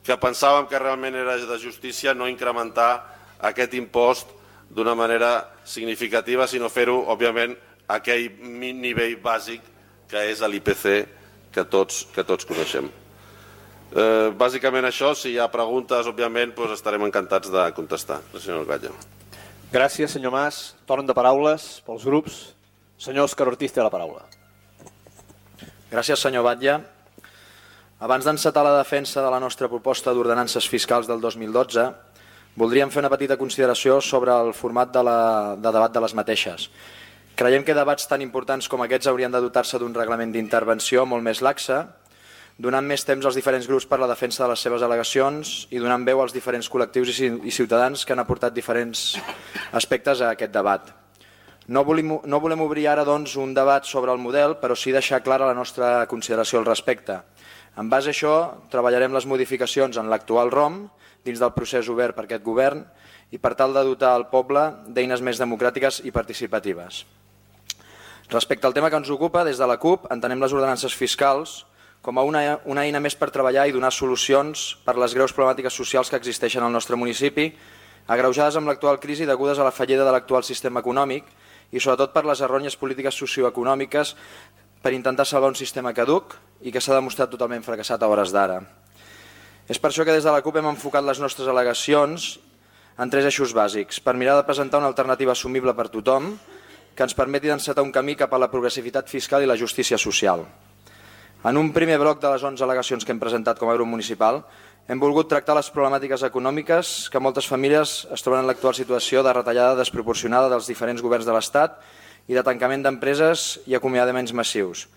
que pensàvem que realment era de justícia no incrementar aquest impost d'una manera significativa, sinó fer-ho, òbviament, a aquell nivell bàsic que és l'IPC que tots coneixem. Bàsicament això, si hi ha preguntes, òbviament, estarem encantats de contestar. Senyor Batlle. Gràcies, senyor Mas. Torn de paraules pels grups. Senyor Òscar Ortiz té la paraula. Gràcies, senyor Batlle. Abans d'encetar la defensa de la nostra proposta d'ordenances fiscals del 2012, voldríem fer una petita consideració sobre el format de debat de les mateixes. Creiem que debats tan importants com aquests haurien de dotar-se d'un reglament d'intervenció molt més laxe, donant més temps als diferents grups per la defensa de les seves al·legacions i donant veu als diferents col·lectius i ciutadans que han aportat diferents aspectes a aquest debat. No volem obrir ara, doncs, un debat sobre el model, però sí deixar clara la nostra consideració al respecte. En base a això, treballarem les modificacions en l'actual ROM, dins del procés obert per aquest govern, i per tal de dotar el poble d'eines més democràtiques i participatives. Respecte al tema que ens ocupa, des de la CUP entenem les ordenances fiscals com a una eina més per treballar i donar solucions per les greus problemàtiques socials que existeixen al nostre municipi, agreujades amb l'actual crisi degudes a la fallida de l'actual sistema econòmic i sobretot per les errònies polítiques socioeconòmiques per intentar salvar un sistema caduc i que s'ha demostrat totalment fracassat a hores d'ara. És per això que des de la CUP hem enfocat les nostres al·legacions en 3 eixos bàsics, per mirar de presentar una alternativa assumible per tothom que ens permeti d'encetar un camí cap a la progressivitat fiscal i la justícia social. En un primer bloc de les 11 al·legacions que hem presentat com a grup municipal, hem volgut tractar les problemàtiques econòmiques que moltes famílies es troben en l'actual situació de retallada desproporcionada dels diferents governs de l'Estat i de tancament d'empreses i acomiadaments massius.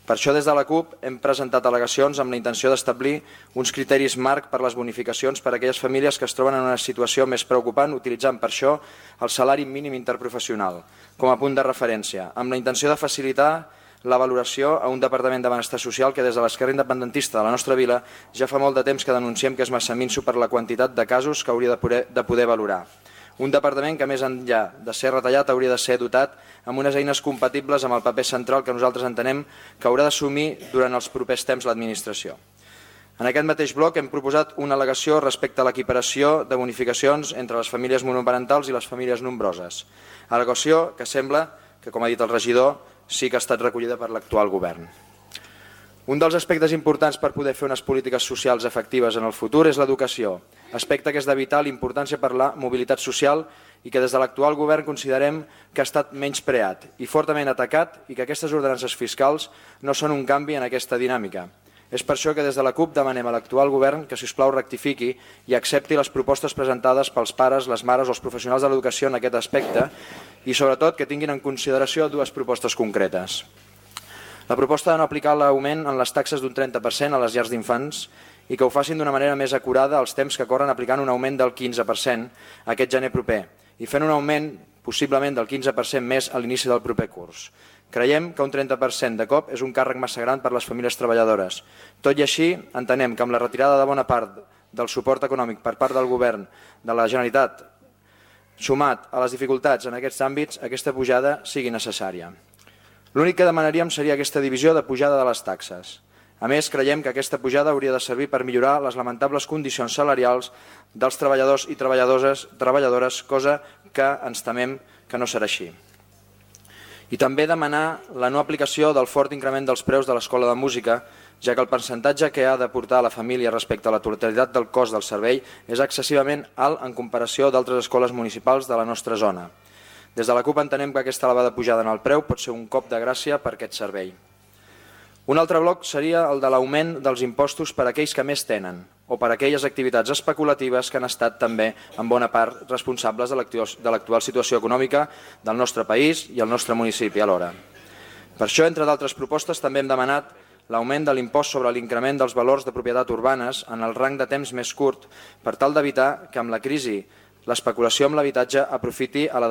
Per això, des de la CUP, hem presentat al·legacions amb la intenció d'establir uns criteris marc per les bonificacions per a aquelles famílies que es troben en una situació més preocupant, utilitzant per això el salari mínim interprofessional com a punt de referència, amb la intenció de facilitar la valoració a un Departament de Benestar Social que des de l'esquerra independentista de la nostra vila ja fa molt de temps que denunciem que és massa minso per la quantitat de casos que hauria de poder valorar. Un departament que, més enllà de ser retallat, hauria de ser dotat amb unes eines compatibles amb el paper central que nosaltres entenem que haurà d'assumir durant els propers temps l'administració. En aquest mateix bloc hem proposat una al·legació respecte a l'equiparació de bonificacions entre les famílies monoparentals i les famílies nombroses. Al·legació que sembla que, com ha dit el regidor, sí que ha estat recollida per l'actual govern. Un dels aspectes importants per poder fer unes polítiques socials efectives en el futur és l'educació, aspecte que és de vital importància per la mobilitat social i que des de l'actual govern considerem que ha estat menyspreat i fortament atacat i que aquestes ordenances fiscals no són un canvi en aquesta dinàmica. És per això que des de la CUP demanem a l'actual govern que, si us plau, rectifiqui i accepti les propostes presentades pels pares, les mares o els professionals de l'educació en aquest aspecte i, sobretot, que tinguin en consideració 2 propostes concretes. La proposta de no aplicar l'augment en les taxes d'un 30% a les llars d'infants i que ho facin d'una manera més acurada als temps que corren aplicant un augment del 15% aquest gener proper i fent un augment possiblement del 15% més a l'inici del proper curs. Creiem que un 30% de cop és un càrrec massa gran per a les famílies treballadores. Tot i així, entenem que amb la retirada de bona part del suport econòmic per part del govern de la Generalitat, sumat a les dificultats en aquests àmbits, aquesta pujada sigui necessària. L'únic que demanaríem seria aquesta divisió de pujada de les taxes. A més, creiem que aquesta pujada hauria de servir per millorar les lamentables condicions salarials dels treballadors i treballadores, cosa que ens temem que no serà així. I també demanar la no aplicació del fort increment dels preus de l'escola de música, ja que el percentatge que ha d'aportar la família respecte a la totalitat del cost del servei és excessivament alt en comparació d'altres escoles municipals de la nostra zona. Des de la CUP entenem que aquesta elevada pujada en el preu pot ser un cop de gràcia per aquest servei. Un altre bloc seria el de l'augment dels impostos per a aquells que més tenen o per a aquelles activitats especulatives que han estat també en bona part responsables de l'actual situació econòmica del nostre país i el nostre municipi alhora. Per això, entre d'altres propostes, també hem demanat l'augment de l'impost sobre l'increment dels valors de propietat urbanes en el rang de temps més curt per tal d'evitar que amb la crisi l'especulació amb l'habitatge aprofiti a la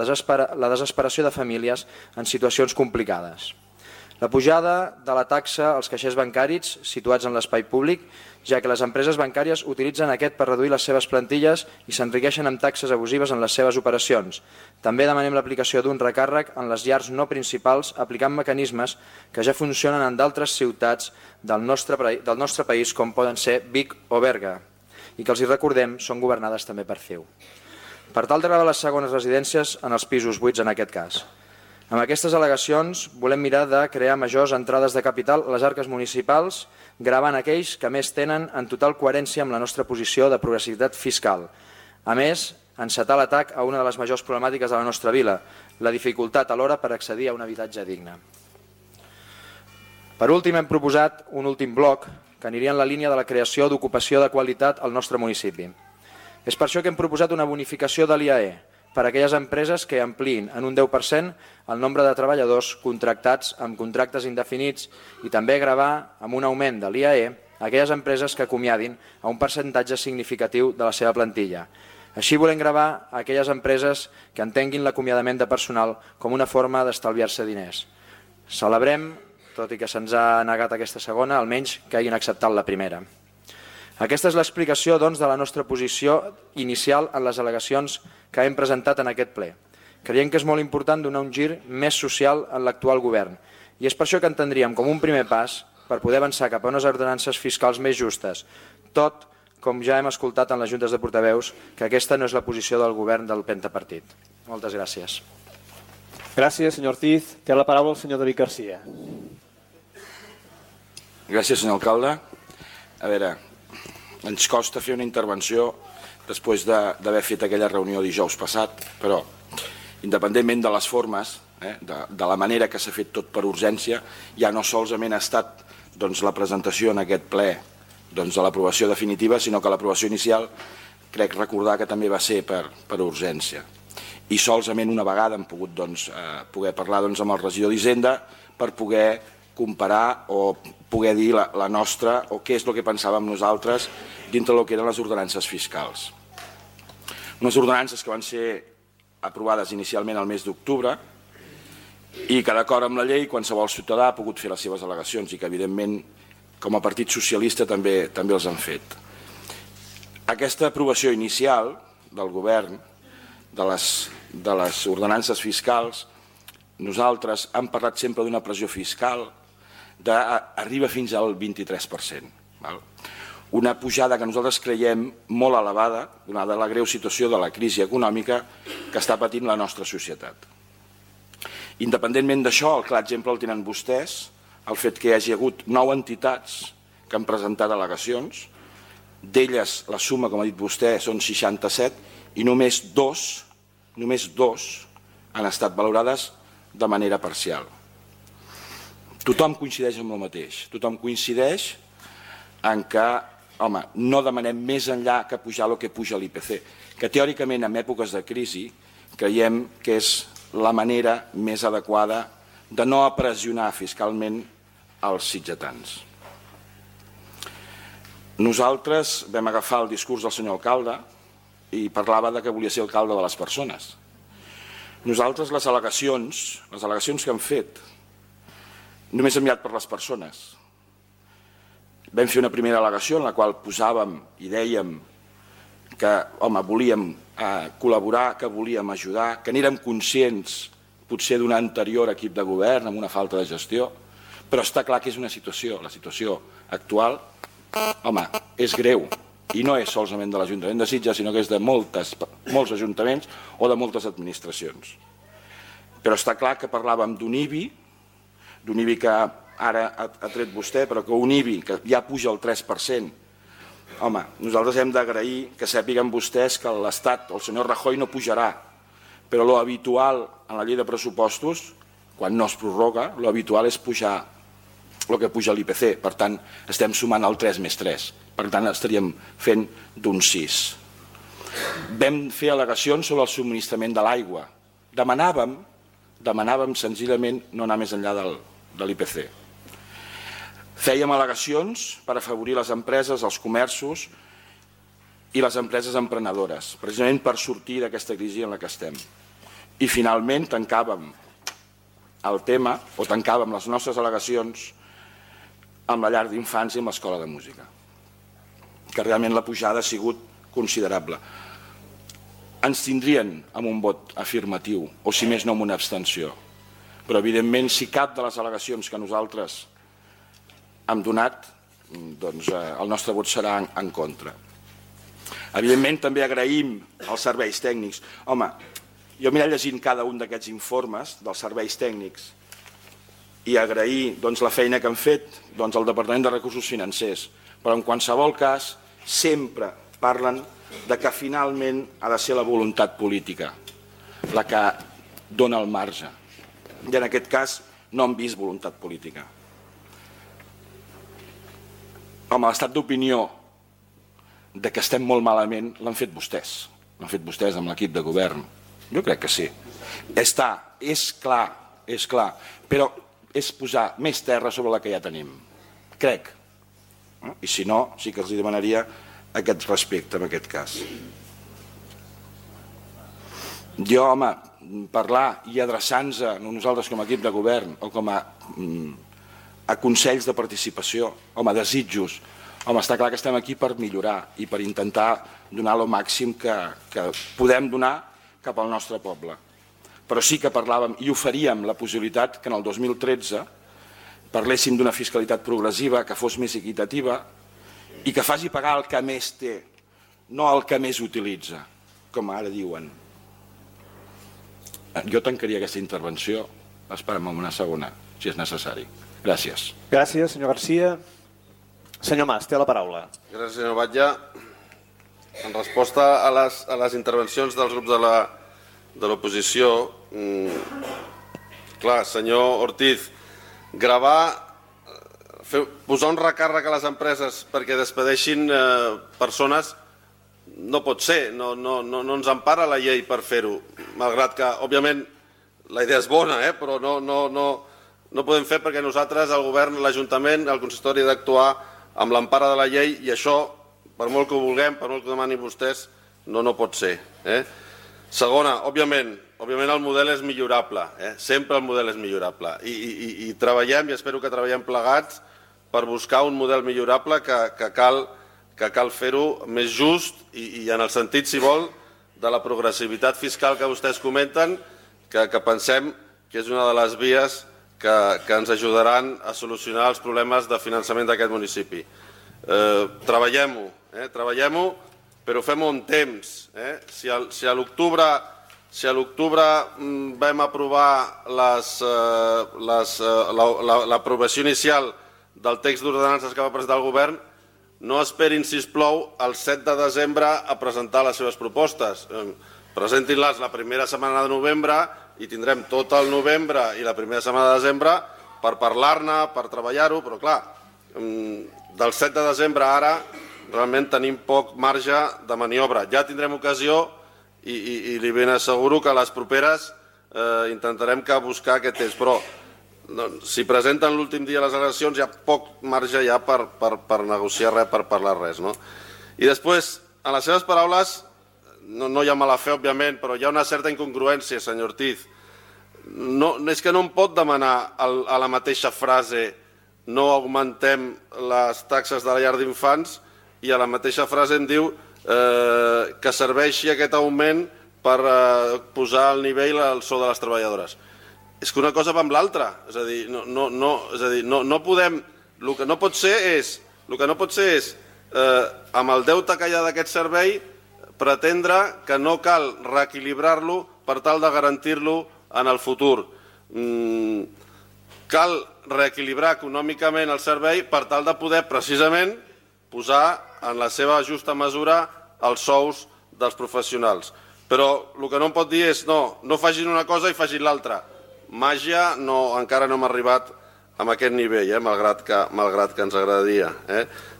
desesperació de famílies en situacions complicades. La pujada de la taxa als caixers bancaris situats en l'espai públic, ja que les empreses bancàries utilitzen aquest per reduir les seves plantilles i s'enriqueixen amb taxes abusives en les seves operacions. També demanem l'aplicació d'un recàrrec en les llars no principals aplicant mecanismes que ja funcionen en d'altres ciutats del nostre país com poden ser Vic o Berga i que els hi recordem són governades també per CiU. Per tal de gravar les segones residències en els pisos buits en aquest cas. Amb aquestes al·legacions volem mirar de crear majors entrades de capital a les arques municipals, gravant aquells que més tenen en total coherència amb la nostra posició de progressivitat fiscal. A més, encetar l'atac a una de les majors problemàtiques de la nostra vila, la dificultat alhora per accedir a un habitatge digne. Per últim, hem proposat un últim bloc que aniria en la línia de la creació d'ocupació de qualitat al nostre municipi. És per això que hem proposat una bonificació de l'IAE, per a aquelles empreses que ampliïn en un 10% el nombre de treballadors contractats amb contractes indefinits i també gravar amb un augment de l'IAE aquelles empreses que acomiadin a un percentatge significatiu de la seva plantilla. Així volem gravar aquelles empreses que entenguin l'acomiadament de personal com una forma d'estalviar-se diners. Celebrem, tot i que se'ns ha negat aquesta segona, almenys que hagin acceptat la primera. Aquesta és l'explicació, doncs, de la nostra posició inicial en les al·legacions que hem presentat en aquest ple. Creiem que és molt important donar un gir més social en l'actual govern i és per això que entendríem com un primer pas per poder avançar cap a unes ordenances fiscals més justes, tot com ja hem escoltat en les juntes de portaveus que aquesta no és la posició del govern del pentapartit. Moltes gràcies. Gràcies, senyor Ortiz. Té la paraula el senyor David Garcia. Gràcies, senyor alcalde. A veure, ens costa fer una intervenció després d'haver fet aquella reunió dijous passat, però independentment de les formes, de la manera que s'ha fet tot per urgència, ja no solament ha estat la presentació en aquest ple de l'aprovació definitiva, sinó que l'aprovació inicial crec recordar que també va ser per urgència. I solament una vegada hem pogut poder parlar amb el regidor d'Hisenda per poder comparar o poder dir la nostra o què és el que pensàvem nosaltres dintre del que eren les ordenances fiscals. Unes ordenances que van ser aprovades inicialment al mes d'octubre i que d'acord amb la llei qualsevol ciutadà ha pogut fer les seves al·legacions i que evidentment com a Partit Socialista també els han fet. Aquesta aprovació inicial del govern de les ordenances fiscals, nosaltres hem parlat sempre d'una pressió fiscal arriba fins al 23%. Una pujada que nosaltres creiem molt elevada, donada la greu situació de la crisi econòmica que està patint la nostra societat. Independentment d'això, el clar exemple el tenen vostès, el fet que hi hagi hagut 9 entitats que han presentat al·legacions, d'elles la suma, com ha dit vostè, són 67 i només dos han estat valorades de manera parcial. Tothom coincideix amb el mateix, tothom coincideix en que, home, no demanem més enllà que pujar el que puja l'IPC, que teòricament en èpoques de crisi creiem que és la manera més adequada de no pressionar fiscalment els sitgetans. Nosaltres vam agafar el discurs del senyor alcalde i parlava que volia ser alcalde de les persones. Nosaltres les al·legacions que hem fet només hem mirat per les persones. Vam fer una primera al·legació en la qual posàvem i dèiem que volíem col·laborar, que volíem ajudar, que n'érem conscients potser d'un anterior equip de govern amb una falta de gestió, però està clar que és una situació, la situació actual, és greu i no és solament de l'Ajuntament de Sitges, sinó que és de molts ajuntaments o de moltes administracions. Però està clar que parlàvem d'un IBI que ara ha tret vostè, però que un IBI que ja puja el 3%, nosaltres hem d'agrair que sàpiguen vostès que l'Estat, el senyor Rajoy, no pujarà, però l'habitual en la llei de pressupostos, quan no es prorroga, l'habitual és pujar el que puja l'IPC, per tant estem sumant el 3 més 3, per tant estaríem fent d'un 6. Vam fer al·legacions sobre el subministrament de l'aigua. Demanàvem senzillament no anar més enllà de l'IPC. Fèiem al·legacions per afavorir les empreses, els comerços i les empreses emprenedores, precisament per sortir d'aquesta crisi en la que estem. I finalment tancàvem el tema, o tancàvem les nostres al·legacions amb la llar d'infants i amb l'escola de música, que realment la pujada ha sigut considerable. Ens tindrien amb un vot afirmatiu, o si més no amb una abstenció, però evidentment si cap de les al·legacions que nosaltres hem donat, doncs el nostre vot serà en contra. Evidentment també agraïm els serveis tècnics. Home, jo m'he llegint cada un d'aquests informes dels serveis tècnics i agrair la feina que han fet al Departament de Recursos Financers, però en qualsevol cas sempre parlen de que finalment ha de ser la voluntat política la que dona el marge. I en aquest cas no hem vist voluntat política. Home, l'estat d'opinió de que estem molt malament l'han fet vostès. L'han fet vostès amb l'equip de govern. Jo crec que sí. És clar, però és posar més terra sobre la que ja tenim. Crec. I si no, sí que els demanaria aquest respecte en aquest cas. Jo, home, parlar i adreçar-nos a nosaltres com a equip de govern o com a consells de participació, home, desitjos, home, està clar que estem aquí per millorar i per intentar donar el màxim que podem donar cap al nostre poble. Però sí que parlàvem i oferíem la possibilitat que en el 2013 parléssim d'una fiscalitat progressiva que fos més equitativa i que faci pagar el que més té, no el que més utilitza, com ara diuen. Jo tancaria aquesta intervenció, esperem una segona, si és necessari. Gràcies. Gràcies, senyor Garcia. Senyor Mas, té la paraula. Gràcies, senyor Batlle. En resposta a les intervencions dels grups de l'oposició, clar, senyor Ortiz, posar un recàrrec a les empreses perquè despedeixin persones no pot ser, no ens empara la llei per fer-ho, malgrat que, òbviament, la idea és bona, però no podem fer perquè nosaltres, el govern, l'Ajuntament, el consistori ha d'actuar amb l'empara de la llei i això, per molt que ho vulguem, per molt que ho demanin vostès, no pot ser. Segona, òbviament el model és millorable, sempre el model és millorable i treballem, i espero que treballem plegats per buscar un model millorable que cal fer-ho més just i en el sentit, si vol, de la progressivitat fiscal que vostès comenten, que pensem que és una de les vies que ens ajudaran a solucionar els problemes de finançament d'aquest municipi. Treballem-ho, però fem-ho amb temps. Si a l'octubre vam aprovar l'aprovació inicial del text d'ordenances que va presentar el govern, no esperin, sisplau, el 7 de desembre a presentar les seves propostes. Presentin-les la primera setmana de novembre i tindrem tot el novembre i la primera setmana de desembre per parlar-ne, per treballar-ho, però clar, del 7 de desembre ara realment tenim poc marge de maniobra. Ja tindrem ocasió i li ben asseguro que a les properes intentarem buscar aquest temps, però si presenten l'últim dia les al·legacions hi ha poc marge ja per negociar res, per parlar res. I després, en les seves paraules, no hi ha mala fe, òbviament, però hi ha una certa incongruència, senyor Ortiz. És que no em pot demanar a la mateixa frase no augmentem les taxes de la llar d'infants i a la mateixa frase em diu que serveixi aquest augment per posar al nivell el sou de les treballadores. És que una cosa va amb l'altra. És a dir, no podem... El que no pot ser és, amb el deute que hi ha d'aquest servei, pretendre que no cal reequilibrar-lo per tal de garantir-lo en el futur. Cal reequilibrar econòmicament el servei per tal de poder, precisament, posar en la seva justa mesura els sous dels professionals. Però el que no em pot dir és no facin una cosa i facin l'altra. Màgia encara no hem arribat a aquest nivell, malgrat que ens agradaria.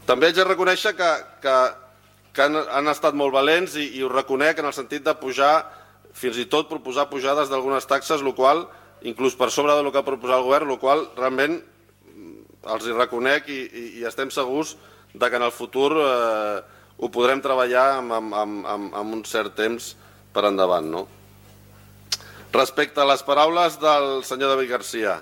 També haig de reconèixer que han estat molt valents i ho reconec en el sentit de pujar, fins i tot proposar pujades d'algunes taxes, el qual, inclús per sobre del que ha proposat el govern, el qual realment els hi reconec i estem segurs que en el futur ho podrem treballar amb un cert temps per endavant. Respecte a les paraules del senyor David Garcia,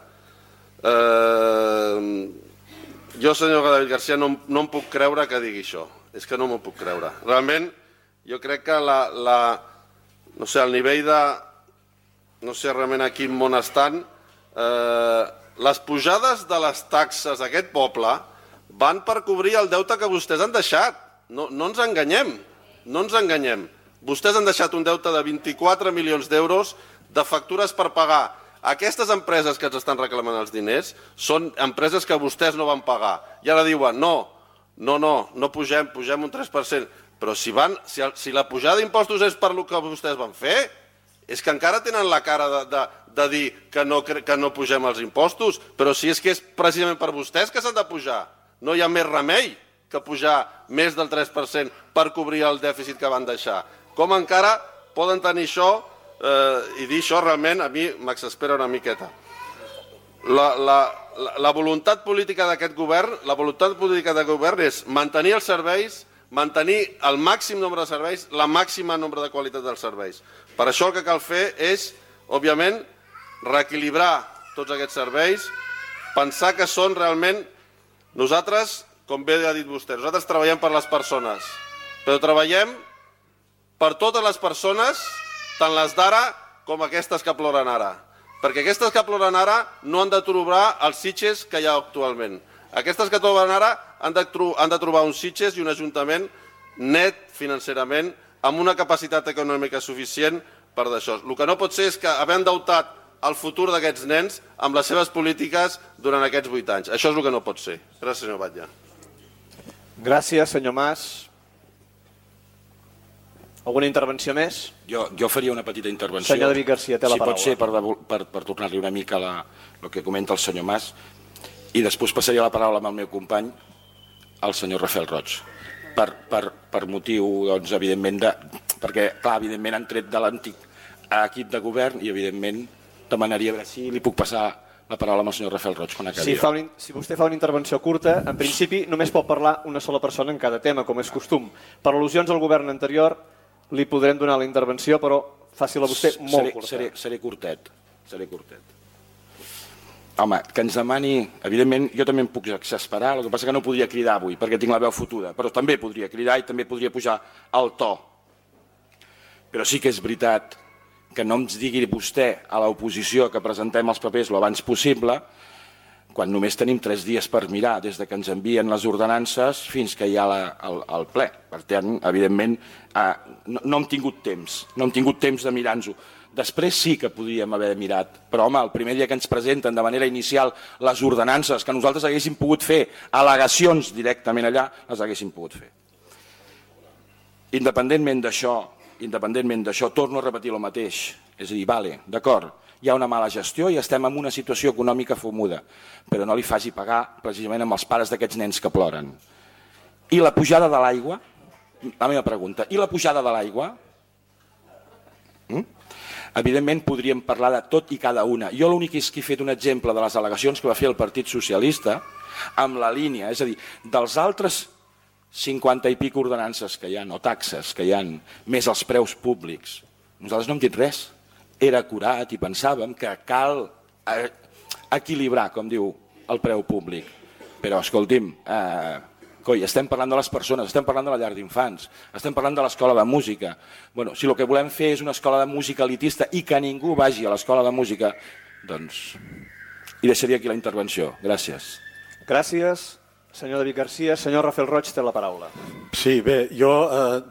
jo, senyor David Garcia, no em puc creure que digui això. És que no m'ho puc creure. Realment, jo crec que no sé, el nivell de... No sé realment a quin món estan. Les pujades de les taxes d'aquest poble van per cobrir el deute que vostès han deixat. No ens enganyem. No ens enganyem. Vostès han deixat un deute de 24 milions d'euros de factures per pagar. Aquestes empreses que ens estan reclamant els diners són empreses que vostès no van pagar. I ara diuen, no pugem un 3%. Però si la pujada d'impostos és per el que vostès van fer, és que encara tenen la cara de dir que no pugem els impostos. Però si és que és precisament per vostès que s'han de pujar. No hi ha més remei que pujar més del 3% per cobrir el dèficit que van deixar. Com encara poden tenir això i dir això realment a mi m'exaspera una miqueta. La voluntat política d'aquest govern és mantenir els serveis, mantenir el màxim nombre de serveis, la màxima nombre de qualitat dels serveis. Per això el que cal fer és, òbviament, reequilibrar tots aquests serveis, pensar que són realment... Nosaltres, com bé ha dit vostè, nosaltres treballem per les persones, però treballem per totes les persones, tant les d'ara com aquestes que ploren ara. Perquè aquestes que ploren ara no han de trobar els sitges que hi ha actualment. Aquestes que ploren ara han de trobar uns sitges i un ajuntament net financerament, amb una capacitat econòmica suficient per d'això. El que no pot ser és que haver endeutat el futur d'aquests nens amb les seves polítiques durant aquests 8 anys. Això és el que no pot ser. Gràcies, senyor Batlle. Gràcies, senyor Mas. Alguna intervenció més? Jo faria una petita intervenció. Senyor David Garcia, té la paraula. Si pot ser per tornar-li una mica el que comenta el senyor Mas, i després passaria la paraula amb el meu company, el senyor Rafael Roig. Per motiu, doncs, evidentment, perquè, clar, evidentment han tret de l'antic equip de govern i, evidentment, demanaria a veure si li puc passar la paraula amb el senyor Rafael Roig quan acabi. Si vostè fa una intervenció curta, en principi només pot parlar una sola persona en cada tema, com és costum. Per al·lusions al govern anterior li podrem donar la intervenció, però faci-la vostè molt curta. Seré curtet. Home, que ens demani... Evidentment, jo també em puc exasperar, el que passa que no podria cridar avui, perquè tinc la veu fotuda, però també podria cridar i també podria pujar el to. Però sí que és veritat que no ens digui vostè a l'oposició que presentem els papers el abans possible, quan només tenim 3 dies per mirar des que ens envien les ordenances fins que hi ha el ple. Per tant, evidentment, no hem tingut temps de mirar-nos-ho. Després sí que podríem haver mirat, però home, el primer dia que ens presenten de manera inicial les ordenances, que nosaltres haguéssim pogut fer al·legacions directament allà, les haguéssim pogut fer. Independentment d'això, torno a repetir el mateix. És a dir, vale, d'acord, hi ha una mala gestió i estem en una situació econòmica fumuda, però no li faci pagar precisament amb els pares d'aquests nens que ploren. I la pujada de l'aigua? La meva pregunta. I la pujada de l'aigua? Evidentment podríem parlar de tot i cada una. Jo l'únic és que he fet un exemple de les al·legacions que va fer el Partit Socialista amb la línia, és a dir, dels altres 50 i pic ordenances que hi ha, o taxes que hi ha, més els preus públics. Nosaltres no hem dit res. Era acurat i pensàvem que cal equilibrar, com diu el preu públic. Però, escolti'm, estem parlant de les persones, estem parlant de la llar d'infants, estem parlant de l'escola de música. Bueno, si el que volem fer és una escola de música elitista i que ningú vagi a l'escola de música, doncs... I deixaria aquí la intervenció. Gràcies. Gràcies. Senyor David Garcia, senyor Rafael Roig té la paraula. Sí, bé, jo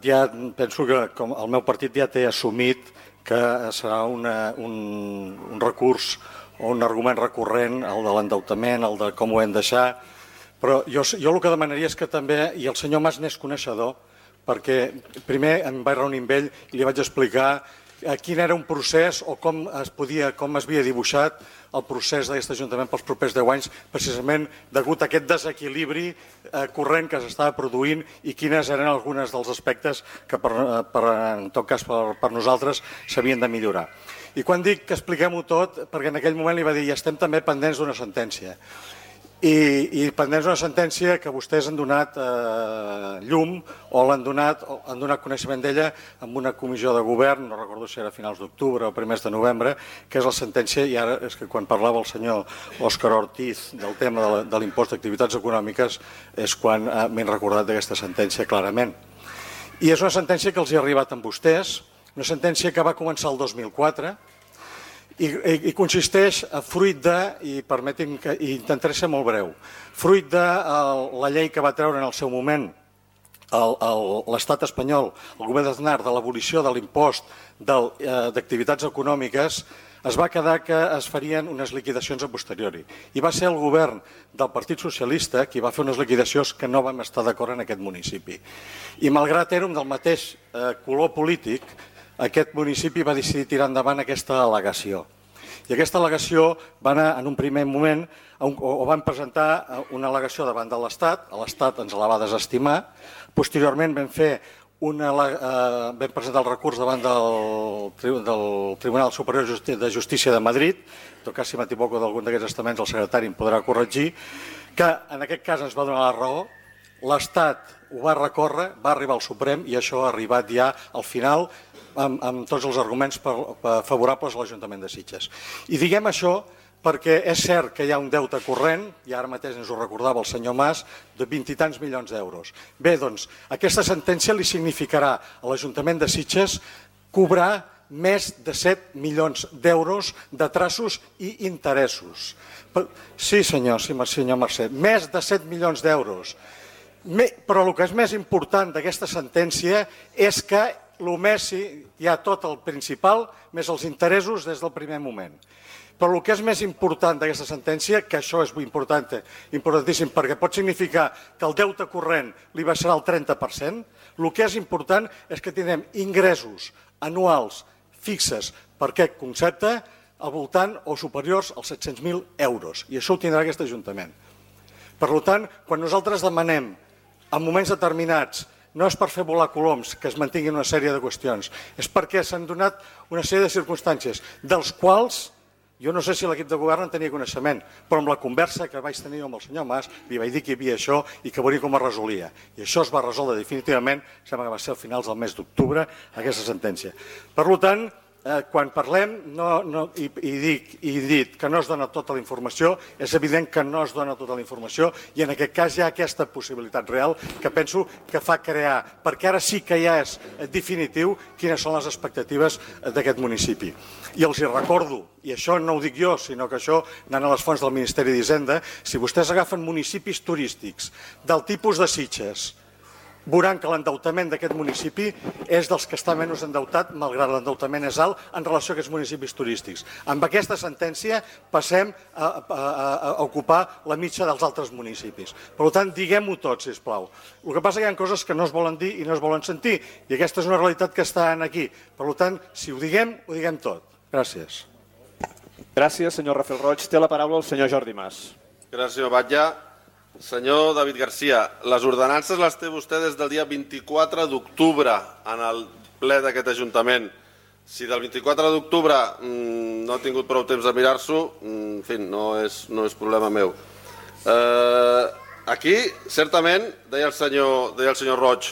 ja penso que el meu partit ja té assumit que serà un recurs o un argument recurrent, el de l'endeutament, el de com ho hem de deixar, però jo el que demanaria és que també, i el senyor Mas n'és coneixedor, perquè primer em vaig reunir amb ell i li vaig explicar quin era un procés o com havia dibuixat el procés d'aquest Ajuntament pels propers 10 anys, precisament degut a aquest desequilibri corrent que s'estava produint i quines eren algunes dels aspectes que, en tot cas, per nosaltres s'havien de millorar. I quan dic que expliquem-ho tot, perquè en aquell moment li va dir i estem també pendents d'una sentència. I pendents una sentència que vostès han donat llum o han donat coneixement d'ella amb una comissió de govern, no recordo si era a finals d'octubre o primers de novembre, que és la sentència, i ara és que quan parlava el senyor Òscar Ortiz del tema de l'impost d'activitats econòmiques és quan m'he recordat d'aquesta sentència clarament. I és una sentència que els hi ha arribat amb vostès, una sentència que va començar el 2004, i consisteix a fruit de, i permeti'm que intentaré ser molt breu, fruit de la llei que va treure en el seu moment l'estat espanyol, el govern d'Aznar, de l'abolició de l'impost d'activitats econòmiques, es va quedar que es farien unes liquidacions a posteriori. I va ser el govern del Partit Socialista qui va fer unes liquidacions que no vam estar d'acord en aquest municipi. I malgrat érem del mateix color polític, aquest municipi va decidir tirar endavant aquesta al·legació. I aquesta al·legació va anar en un primer moment, o van presentar una al·legació davant de l'Estat, l'Estat ens la va desestimar, posteriorment vam presentar el recurs davant del Tribunal Superior de Justícia de Madrid, en tot cas si m'equivoco d'algun d'aquests estaments el secretari em podrà corregir, que en aquest cas ens va donar la raó, l'Estat ho va recórrer, va arribar al Suprem i això ha arribat ja al final amb tots els arguments favorables a l'Ajuntament de Sitges. I diguem això perquè és cert que hi ha un deute corrent, i ara mateix ens ho recordava el senyor Mas, de 20 i tants milions d'euros. Bé, doncs, aquesta sentència li significarà a l'Ajuntament de Sitges cobrar més de 7 milions d'euros de traços i interessos. Sí, senyor Mercè, més de 7 milions d'euros. Però el que és més important d'aquesta sentència és que hi ha tot el principal més els interessos des del primer moment. Però el que és més important d'aquesta sentència, que això és importantíssim perquè pot significar que el deute corrent li baixarà el 30%, el que és important és que tindrem ingressos anuals fixes per aquest concepte al voltant o superiors als 700.000 euros. I això ho tindrà aquest Ajuntament. Per tant, quan nosaltres demanem en moments determinats, no és per fer volar coloms que es mantinguin una sèrie de qüestions, és perquè s'han donat una sèrie de circumstàncies, dels quals jo no sé si l'equip de govern en tenia coneixement, però amb la conversa que vaig tenir amb el senyor Mas li vaig dir que hi havia això i que veuria com es resolia. I això es va resoldre definitivament, sembla que va ser a finals del mes d'octubre, aquesta sentència. Per tant, quan parlem i dit que no es dona tota la informació, és evident que no es dona tota la informació i en aquest cas hi ha aquesta possibilitat real que penso que fa crear, perquè ara sí que ja és definitiu quines són les expectatives d'aquest municipi. I els hi recordo, i això no ho dic jo, sinó que això anant a les fonts del Ministeri d'Hisenda, si vostès agafen municipis turístics del tipus de Sitges, veuran que l'endeutament d'aquest municipi és dels que està menys endeutat, malgrat l'endeutament és alt, en relació a aquests municipis turístics. Amb aquesta sentència passem a ocupar la mitja dels altres municipis. Per tant, diguem-ho tot, sisplau. El que passa és que hi ha coses que no es volen dir i no es volen sentir, i aquesta és una realitat que està aquí. Per tant, si ho diguem tot. Gràcies. Gràcies, senyor Rafael Roig. Té la paraula el senyor Jordi Mas. Gràcies, senyor Batlle. Senyor David Garcia, les ordenances les té vostè des del dia 24 d'octubre en el ple d'aquest Ajuntament. Si del 24 d'octubre no ha tingut prou temps de mirar-s'ho, en fi, no és problema meu. Aquí, certament, deia el senyor Roig,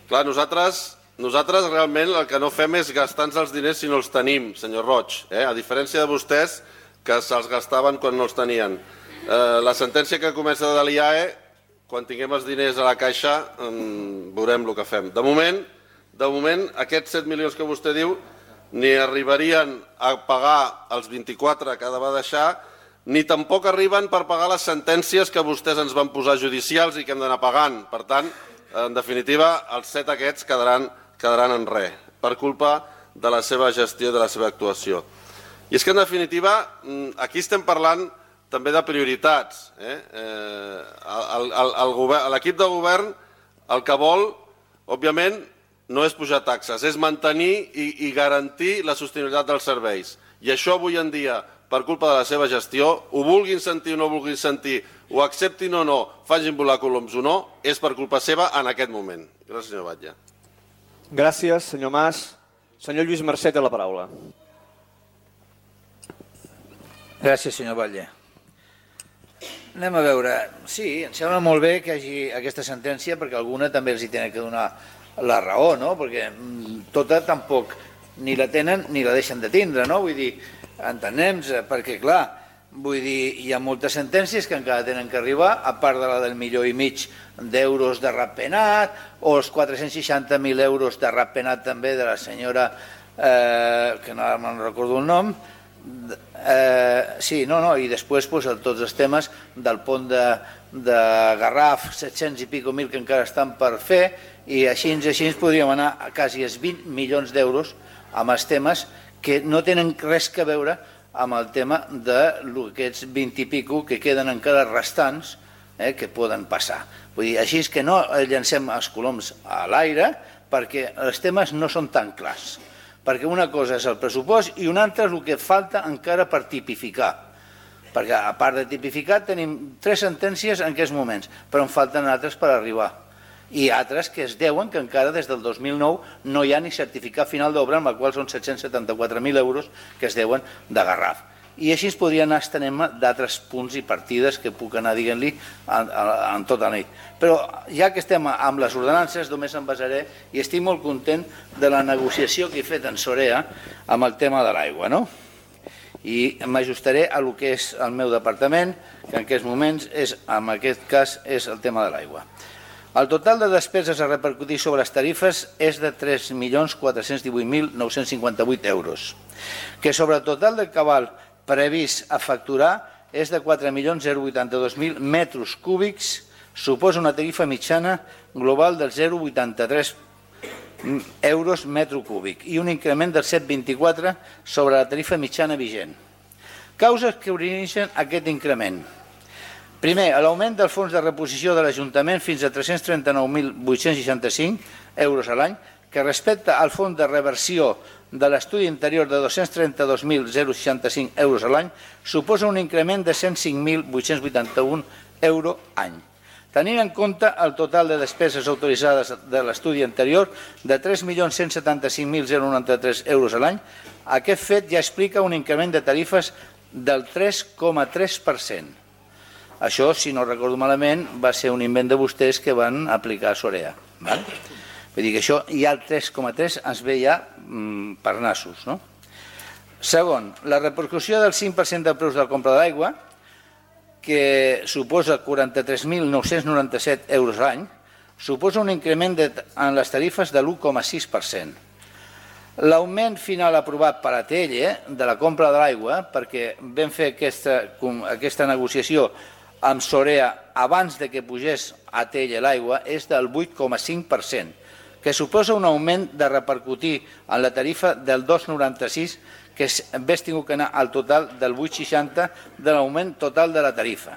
clar, nosaltres realment el que no fem és gastar-nos els diners si no els tenim, senyor Roig, a diferència de vostès que se'ls gastaven quan no els tenien. La sentència que comença de l'IAE, quan tinguem els diners a la caixa, veurem el que fem. De moment, aquests 7 milions que vostè diu ni arribarien a pagar els 24 que va deixar, ni tampoc arriben per pagar les sentències que vostès ens van posar judicials i que hem d'anar pagant. Per tant, en definitiva, els 7 aquests quedaran en res, per culpa de la seva gestió i de la seva actuació. I és que, en definitiva, aquí estem parlant també de prioritats. L'equip de govern el que vol, òbviament, no és pujar taxes, és mantenir i garantir la sostenibilitat dels serveis. I això avui en dia, per culpa de la seva gestió, ho vulguin sentir o no vulguin sentir, ho acceptin o no, facin volar coloms o no, és per culpa seva en aquest moment. Gràcies, senyor Batlle. Gràcies, senyor Mas. Senyor Lluís Mercè té la paraula. Gràcies, senyor Batlle. Anem a veure. Sí, em sembla molt bé que hi hagi aquesta sentència perquè alguna també els hi tenen que donar la raó, no? Perquè tota tampoc ni la tenen ni la deixen de tindre, no? Vull dir, entenem-nos, perquè clar, vull dir, hi ha moltes sentències que encara tenen que arribar, a part de la del $1,5 milió de ratpenat o els 460.000 euros de ratpenat també de la senyora, que no me'n recordo el nom, sí, i després tots els temes del pont de Garraf, 700 i pico mil que encara estan per fer, i així podríem anar a quasi els 20 milions d'euros amb els temes que no tenen res a veure amb el tema d'aquests 20 i pico que queden encara restants que poden passar. Vull dir, així que no llancem els coloms a l'aire perquè els temes no són tan clars. Perquè una cosa és el pressupost i una altra és el que falta encara per tipificar. Perquè a part de tipificar tenim 3 sentències en aquests moments, però en falten altres per arribar. I altres que es deuen que encara des del 2009 no hi ha ni certificat final d'obra, amb el qual són 774.000 euros que es deuen de Garraf. I així es podria anar estenent d'altres punts i partides que puc anar dient-li en tota la nit. Però ja que estem amb les ordenances, només em basaré, i estic molt content de la negociació que he fet en Sorea amb el tema de l'aigua, no? I m'ajustaré a el que és el meu departament, que en aquests moments, en aquest cas, és el tema de l'aigua. El total de despeses a repercutir sobre les tarifes és de 3.418.958 euros, que sobre el total del cabal previst a facturar és de 4.082.000 metres cúbics, suposa una tarifa mitjana global del 0,83 euros metre cúbic i un increment del 7,24 sobre la tarifa mitjana vigent. Causes que origen aquest increment. Primer, l'augment del fons de reposició de l'Ajuntament fins a 339.865 euros a l'any, que respecte al fons de reversió de l'estudi interior de 232.065 euros a l'any, suposa un increment de 105.881 euros any. Tenint en compte el total de despeses autoritzades de l'estudi anterior de 3.175.093 euros a l'any, aquest fet ja explica un increment de tarifes del 3,3%. Això, si no recordo malament, va ser un invent de vostès que van aplicar a Sorea. Vull dir que això ja el 3,3 ens ve ja per nassos. Segon, la repercussió del 5% del preu de la compra de l'aigua, que suposa 43.997 euros a l'any, suposa un increment en les tarifes de l'1,6%. L'augment final aprovat per ATL de la compra de l'aigua, perquè vam fer aquesta negociació amb Sorea abans de que pugés ATL l'aigua, és del 8,5%, que suposa un augment de repercutir en la tarifa del 2,96%, que hauria tingut que anar al total del 8,60% de l'augment total de la tarifa.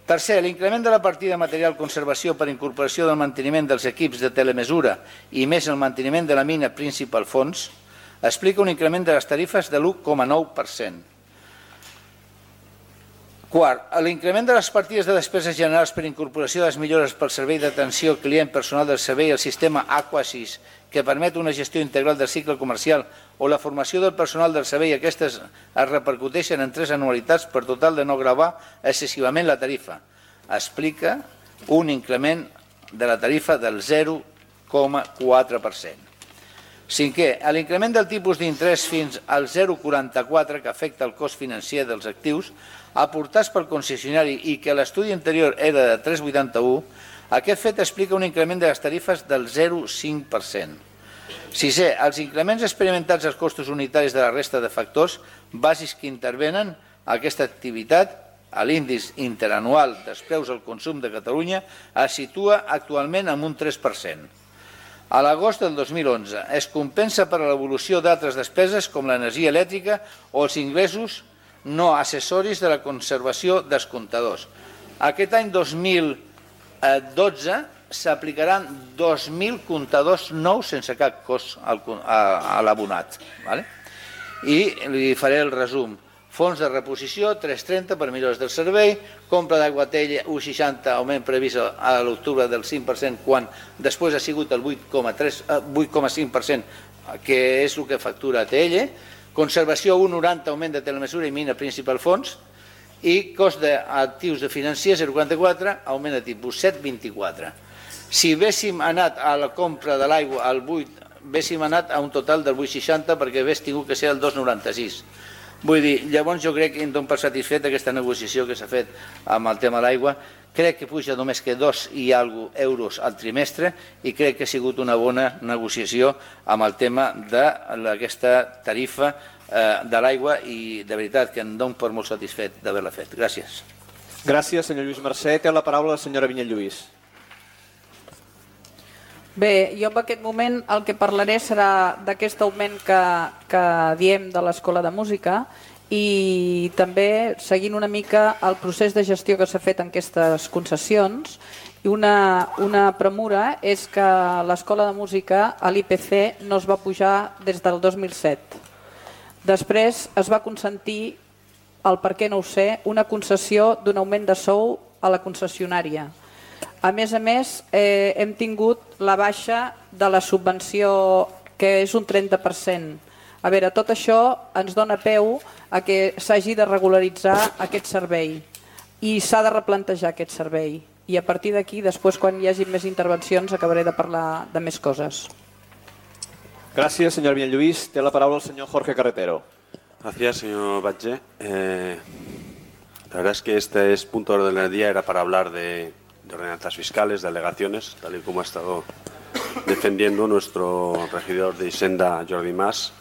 Tercer, l'increment de la partida de material conservació per incorporació del manteniment dels equips de telemesura i més el manteniment de la mina Principal Fons explica un increment de les tarifes de l'1,9%. Quart, l'increment de les partides de despeses generals per incorporació de les millores pel servei d'atenció al client personal del servei i el sistema Aquasis, que permet una gestió integral del cicle comercial, o la formació del personal del servei, aquestes es repercuteixen en 3 anualitats per total de no gravar excessivament la tarifa. Explica un increment de la tarifa del 0,4%. Cinquè, l'increment del tipus d'interès fins al 0,44 que afecta el cost financer dels actius aportats pel concessionari i que l'estudi anterior era de 3,81, aquest fet explica un increment de les tarifes del 0,5%. Sisè, els increments experimentats als costos unitaris de la resta de factors bàsics que intervenen a aquesta activitat, a l'índex interanual dels preus al consum de Catalunya, es situa actualment en un 3%. A l'agost del 2011 es compensa per l'evolució d'altres despeses com l'energia elèctrica o els ingressos no accessoris de la conservació dels comptadors. Aquest any 2012 s'aplicaran 2.000 comptadors nous sense cap cost a l'abonat. I li faré el resum. Fons de reposició, 3,30 per millores del servei, compra d'aigua ATL 1,60, augment previst a l'octubre del 5%, quan després ha sigut el 8,5%, que és el que factura ATL, conservació 1,90, augment de telemesura i mina Principal Fons, i cost d'actius de financiers 0,44, augment de tipus 7,24. Si haguéssim anat a la compra de l'aigua al 8, haguéssim anat a un total del 8,60 perquè hagués tingut que ser el 2,96. Vull dir, llavors jo crec que em dono per satisfet aquesta negociació que s'ha fet amb el tema de l'aigua. Crec que puja només que 2 i alguna euros al trimestre i crec que ha sigut una bona negociació amb el tema d'aquesta tarifa de l'aigua i de veritat que em dono per molt satisfet d'haver-la fet. Gràcies. Gràcies, senyor Lluís Mercè. Té la paraula la senyora Vinyet Lluís. Bé, jo en aquest moment el que parlaré serà d'aquest augment que diem de l'Escola de Música i també seguint una mica el procés de gestió que s'ha fet en aquestes concessions. I una premura és que l'Escola de Música a l'IPC no es va pujar des del 2007. Després es va consentir, el per què no ho sé, una concessió d'un augment de sou a la concessionària. A més, hem tingut la baixa de la subvenció, que és un 30%. A veure, tot això ens dona peu a que s'hagi de regularitzar aquest servei i s'ha de replantejar aquest servei. I a partir d'aquí, després, quan hi hagi més intervencions, acabaré de parlar de més coses. Gracias, señor Vinyet Lluís. Té la paraula el señor Jorge Carretero. Gracias, señor Batlle. La verdad es que este punto de orden del día era para hablar de ordenanzas fiscales, de alegaciones, tal y como ha estado defendiendo nuestro regidor de Hisenda, Jordi Mas.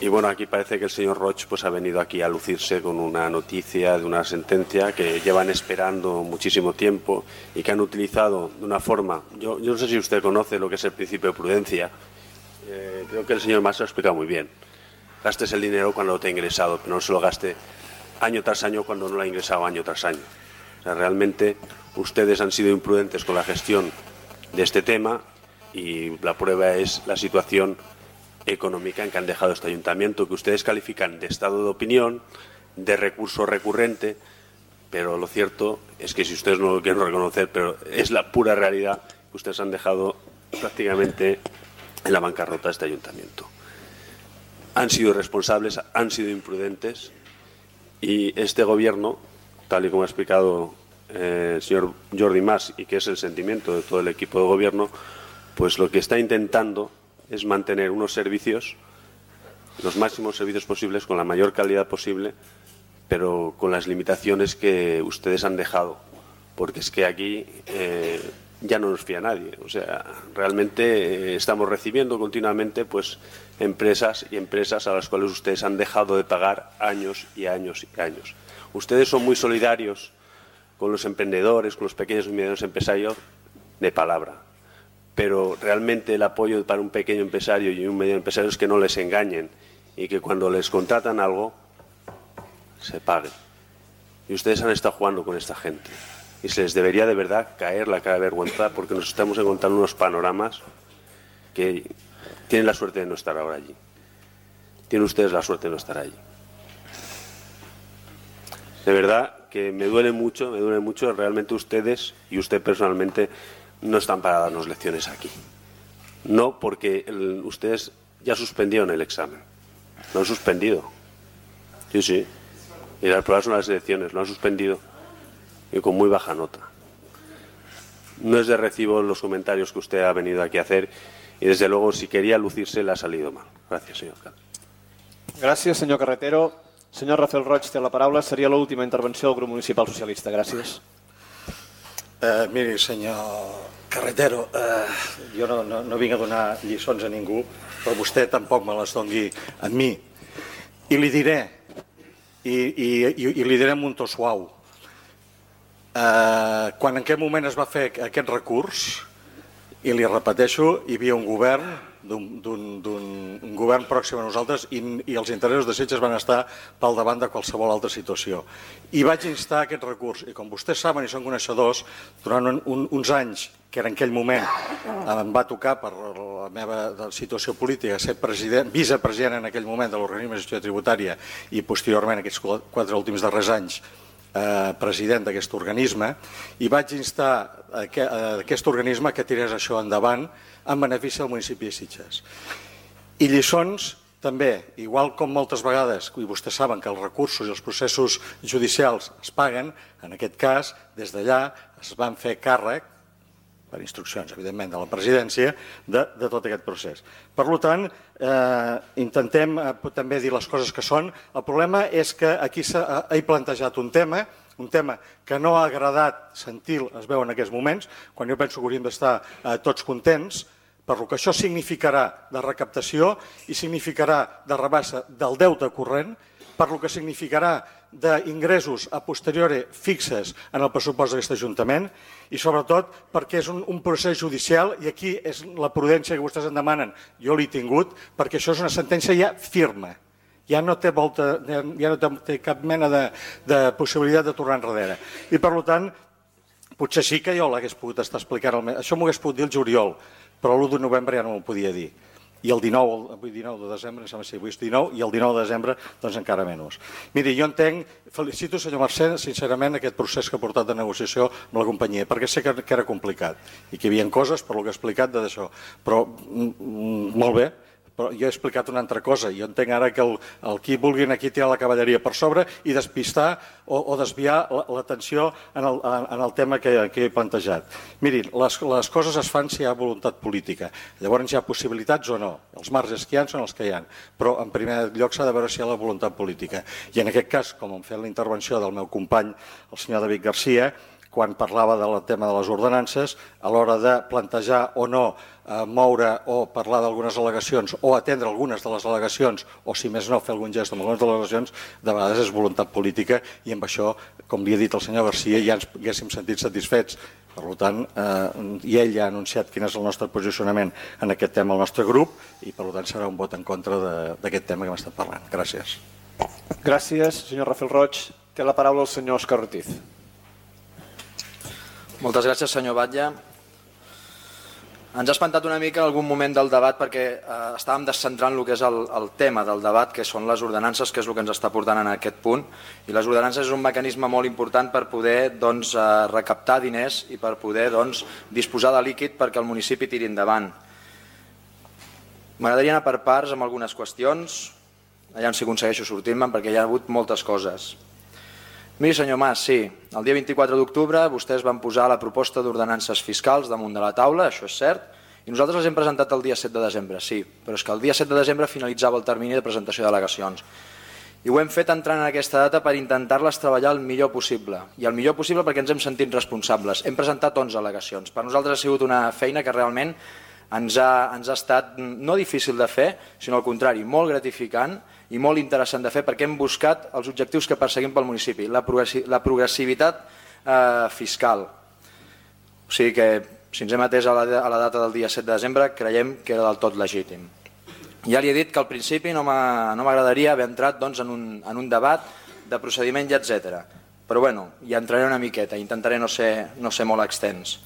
Y bueno, aquí parece que el señor Roig pues ha venido aquí a lucirse con una noticia de una sentencia que llevan esperando muchísimo tiempo y que han utilizado de una forma... Yo no sé si usted conoce lo que es el principio de prudencia. Creo que el señor Mas lo ha explicado muy bien. Gastes el dinero cuando lo te ha ingresado, pero no se lo gaste año tras año cuando no lo ha ingresado año tras año. O sea, realmente ustedes han sido imprudentes con la gestión de este tema y la prueba es la situación económica en que han dejado este ayuntamiento, que ustedes califican de estado de opinión, de recurso recurrente, pero lo cierto es que si ustedes no lo quieren reconocer, pero es la pura realidad que ustedes han dejado prácticamente en la bancarrota de este ayuntamiento. Han sido irresponsables, han sido imprudentes y este gobierno, tal y como ha explicado el señor Jordi Mas y que es el sentimiento de todo el equipo de gobierno, pues lo que está intentando es mantener unos servicios, los máximos servicios posibles, con la mayor calidad posible, pero con las limitaciones que ustedes han dejado, porque es que aquí ya no nos fía nadie. O sea, realmente estamos recibiendo continuamente pues empresas y empresas a las cuales ustedes han dejado de pagar años y años y años. Ustedes son muy solidarios con los emprendedores, con los pequeños y medianos empresarios de palabra. Pero realmente el apoyo para un pequeño empresario y un mediano empresario es que no les engañen y que cuando les contratan algo se pague. Y ustedes han estado jugando con esta gente y se les debería de verdad caer la cara de vergüenza porque nos estamos encontrando unos panoramas que tienen la suerte de no estar ahora allí. Tienen ustedes la suerte de no estar allí. De verdad que me duele mucho, realmente ustedes y usted personalmente no están para darnos lecciones aquí. No, porque ustedes ya suspendieron el examen. Lo han suspendido. Sí. Y las pruebas son las elecciones. Lo han suspendido. Y con muy baja nota. No es de recibo los comentarios que usted ha venido aquí a hacer. Y desde luego, si quería lucirse, le ha salido mal. Gracias, señor alcalde. Gràcies, senyor Carretero. Senyor Rafael Roig té la paraula. Seria l'última intervenció del grup municipal socialista. Gràcies. Miri, senyor Carretero, jo no vinc a donar lliçons a ningú, però vostè tampoc me les doni a mi. I li diré, i li diré amb un to suau, quan en aquest moment es va fer aquest recurs, i li repeteixo, hi havia un govern, un govern pròxim a nosaltres i els interessos de Sitges van estar pel davant de qualsevol altra situació. I vaig instar aquest recurs, i com vostès saben i són coneixedors, durant uns anys, que en aquell moment em va tocar per la meva situació política ser vicepresident en aquell moment de l'organisme de gestió tributària i posteriorment aquests 4 últims darrers anys president d'aquest organisme, i vaig instar aquest organisme que tirés això endavant en benefici del municipi de Sitges. I lliçons també, igual com moltes vegades, i vostès saben que els recursos i els processos judicials es paguen, en aquest cas, des d'allà es van fer càrrec, per instruccions, evidentment, de la presidència, de tot aquest procés. Per tant, intentem també dir les coses que són. El problema és que aquí he plantejat un tema que no ha agradat sentir, es veu en aquests moments, quan jo penso que hauríem d'estar tots contents, per lo que això significarà de recaptació i significarà de rebaixa del deute corrent, per lo que significarà d'ingressos a posteriori fixes en el pressupost d'aquest Ajuntament i sobretot perquè és un procés judicial i aquí és la prudència que vostès en demanen. Jo l'he tingut perquè això és una sentència ja firma. Ja no té cap mena de possibilitat de tornar enrere. I per tant, potser sí que jo l'hagués pogut estar explicant. Això m'ho hagués pogut dir el juliol, però l'1 de novembre ja no m'ho podia dir. I el 19 de desembre, em sembla que avui és 19, i el 19 de desembre doncs encara menys. Miri, jo entenc, felicito senyor Mercè, sincerament, aquest procés que ha portat de negociació amb la companyia, perquè sé que era complicat i que hi havia coses, per lo que he explicat, d'això. Però, molt bé, però jo he explicat una altra cosa. Jo entenc ara que qui vulguin aquí tirar la cavalleria per sobre i despistar o desviar l'atenció en el tema que he plantejat. Mirin, les coses es fan si hi ha voluntat política. Llavors hi ha possibilitats o no. Els marges que hi ha són els que hi ha. Però en primer lloc s'ha de veure si hi ha la voluntat política. I en aquest cas, com hem fet la intervenció del meu company, el senyor David Garcia, quan parlava del tema de les ordenances, a l'hora de plantejar o no moure o parlar d'algunes al·legacions o atendre algunes de les al·legacions o, si més no, fer algun gest amb algunes de les al·legacions, de vegades és voluntat política i amb això, com li ha dit el senyor Garcia, ja ens haguéssim sentit satisfets. Per tant, i ell ja ha anunciat quin és el nostre posicionament en aquest tema al nostre grup i per tant serà un vot en contra d'aquest tema que hem estat parlant. Gràcies. Gràcies, senyor Rafael Roig. Té la paraula el senyor Òscar Ortiz. Moltes gràcies, senyor Batlle. Ens ha espantat una mica en algun moment del debat perquè estàvem descentrant el que és el tema del debat, que són les ordenances, que és el que ens està portant en aquest punt. I les ordenances és un mecanisme molt important per poder recaptar diners i per poder disposar de líquid perquè el municipi tiri endavant. M'agradaria anar per parts amb algunes qüestions, allà si aconsegueixo sortir-me'n perquè hi ha hagut moltes coses. Miri, senyor Mas, sí, el dia 24 d'octubre vostès van posar la proposta d'ordenances fiscals damunt de la taula, això és cert, i nosaltres les hem presentat el dia 7 de desembre, sí, però és que el dia 7 de desembre finalitzava el termini de presentació d'al·legacions. I ho hem fet entrant en aquesta data per intentar-les treballar el millor possible, i el millor possible perquè ens hem sentit responsables. Hem presentat 11 al·legacions. Per nosaltres ha sigut una feina que realment ens ha estat no difícil de fer, sinó al contrari, molt gratificant i molt interessant de fer perquè hem buscat els objectius que perseguim pel municipi, la progressivitat fiscal. O sigui que, si ens hem atès a la data del dia 7 de desembre, creiem que era del tot legítim. Ja li he dit que al principi no m'agradaria haver entrat en un debat de procediment i etc. Però bueno, hi entraré una miqueta, intentaré no ser molt extens.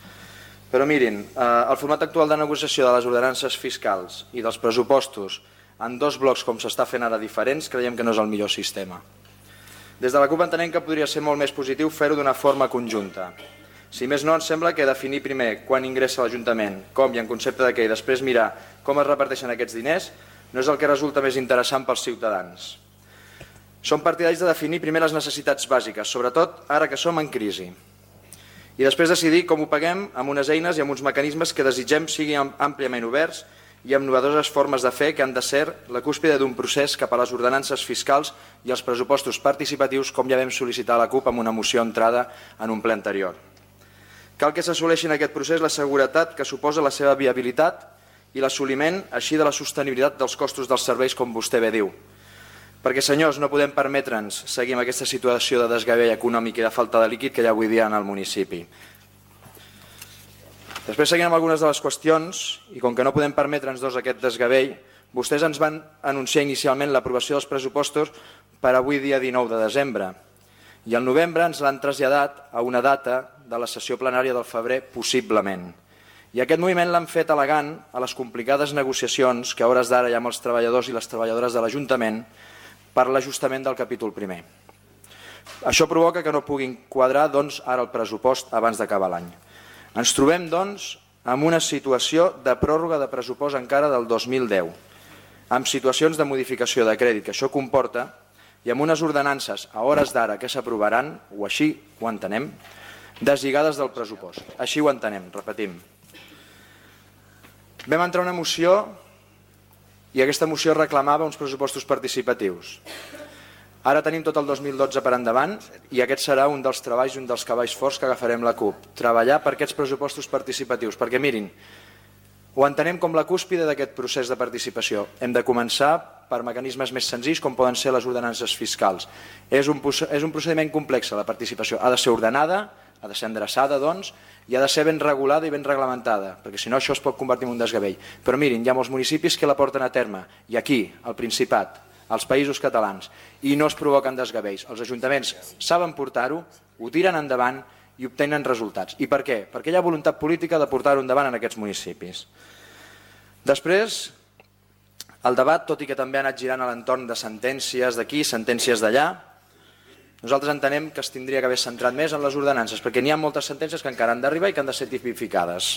Però mirin, el format actual de negociació de les ordenances fiscals i dels pressupostos en dos blocs com s'està fent ara diferents, creiem que no és el millor sistema. Des de la CUP entenem que podria ser molt més positiu fer-ho d'una forma conjunta. Si més no, ens sembla que definir primer quan ingressa l'Ajuntament, com i en concepte de què, i després mirar com es reparteixen aquests diners, no és el que resulta més interessant pels ciutadans. Som partidaris de definir primer les necessitats bàsiques, sobretot ara que som en crisi. I després decidir com ho paguem amb unes eines i amb uns mecanismes que desitgem siguin àmpliament oberts i amb novedoses formes de fer que han de ser la cúspide d'un procés cap a les ordenances fiscals i els pressupostos participatius, com ja vam sol·licitar a la CUP amb una moció entrada en un ple anterior. Cal que s'assoleixi en aquest procés la seguretat que suposa la seva viabilitat i l'assoliment així de la sostenibilitat dels costos dels serveis, com vostè bé diu. Perquè, senyors, no podem permetre'ns seguir amb aquesta situació de desgavell econòmic i de falta de líquid que hi ha avui dia en el municipi. Després, seguint amb algunes de les qüestions, i com que no podem permetre'ns aquest desgavell, vostès ens van anunciar inicialment l'aprovació dels pressupostos per avui dia 19 de desembre. I al novembre ens l'han traslladat a una data de la sessió plenària del febrer, possiblement. I aquest moviment l'han fet al·legant a les complicades negociacions que a hores d'ara hi ha amb els treballadors i les treballadores de l'Ajuntament per l'ajustament del capítol primer. Això provoca que no puguin quadrar ara el pressupost abans d'acabar l'any. Ens trobem, amb una situació de pròrroga de pressupost encara del 2010. amb situacions de modificació de crèdit que això comporta i amb unes ordenances a hores d'ara que s'aprovaran, o així ho entenem, deslligades del pressupost. Així ho entenem, repetim. Vam entrar una moció i aquesta moció reclamava uns pressupostos participatius. Ara tenim tot el 2012 per endavant i aquest serà un dels treballs i un dels cavalls forts que agafarem la CUP. Treballar per aquests pressupostos participatius, perquè mirin, ho entenem com la cúspide d'aquest procés de participació. Hem de començar per mecanismes més senzills com poden ser les ordenances fiscals. És un procediment complex, la participació. Ha de ser ordenada, ha de ser endreçada, doncs, i ha de ser ben regulada i ben reglamentada, perquè si no això es pot convertir en un desgavell. Però mirin, hi ha molts municipis que la porten a terme, i aquí, al Principat, als països catalans, i no es provoquen desgavells. Els ajuntaments saben portar-ho, ho tiren endavant i obtenen resultats. I per què? Perquè hi ha voluntat política de portar-ho endavant en aquests municipis. Després, el debat, tot i que també ha anat girant a l'entorn de sentències d'aquí, sentències d'allà, nosaltres entenem que es tindria que haver centrat més en les ordenances, perquè n'hi ha moltes sentències que encara han d'arribar i que han de ser tipificades.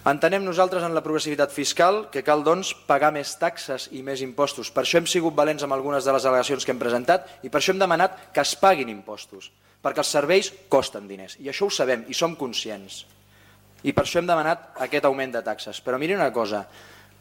Entenem nosaltres en la progressivitat fiscal que cal, doncs, pagar més taxes i més impostos. Per això hem sigut valents amb algunes de les al·legacions que hem presentat i per això hem demanat que es paguin impostos, perquè els serveis costen diners, i això ho sabem i som conscients. I per això hem demanat aquest augment de taxes. Però miri una cosa,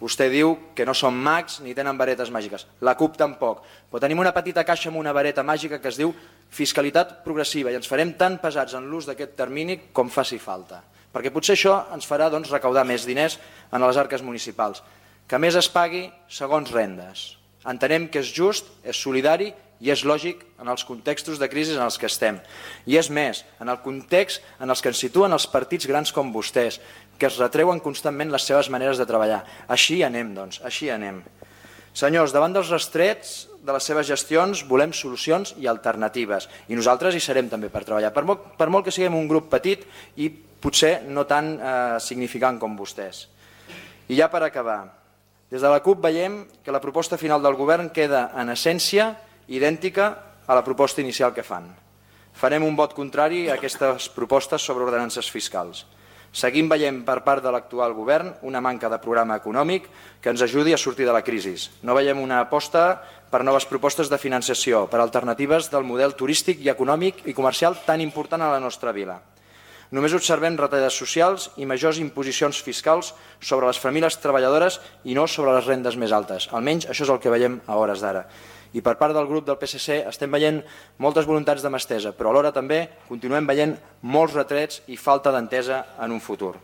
vostè diu que no són mags ni tenen varetes màgiques. La CUP tampoc. Però tenim una petita caixa amb una vareta màgica que es diu fiscalitat progressiva i ens farem tan pesats en l'ús d'aquest termini com faci falta. Perquè potser això ens farà recaudar més diners en les arques municipals. Que més es pagui segons rendes. Entenem que és just, és solidari i és lògic en els contextos de crisi en els que estem. I és més, en el context en els que ens situen els partits grans com vostès, que es retreuen constantment les seves maneres de treballar. Així anem, doncs, així anem. Senyors, davant dels restrets de les seves gestions volem solucions i alternatives. I nosaltres hi serem també per treballar, per molt que siguem un grup petit i potser no tan significant com vostès. I ja per acabar, des de la CUP veiem que la proposta final del govern queda en essència idèntica a la proposta inicial que fan. Farem un vot contrari a aquestes propostes sobre ordenances fiscals. Seguim veient per part de l'actual govern una manca de programa econòmic que ens ajudi a sortir de la crisi. No veiem una aposta per noves propostes de financiació, per alternatives del model turístic i econòmic i comercial tan important a la nostra vila. Només observem retallades socials i majors imposicions fiscals sobre les famílies treballadores i no sobre les rendes més altes. Almenys això és el que veiem a hores d'ara. I per part del grup del PSC estem veient moltes voluntats de mà estesa, però alhora també continuem veient molts retrets i falta d'entesa en un futur.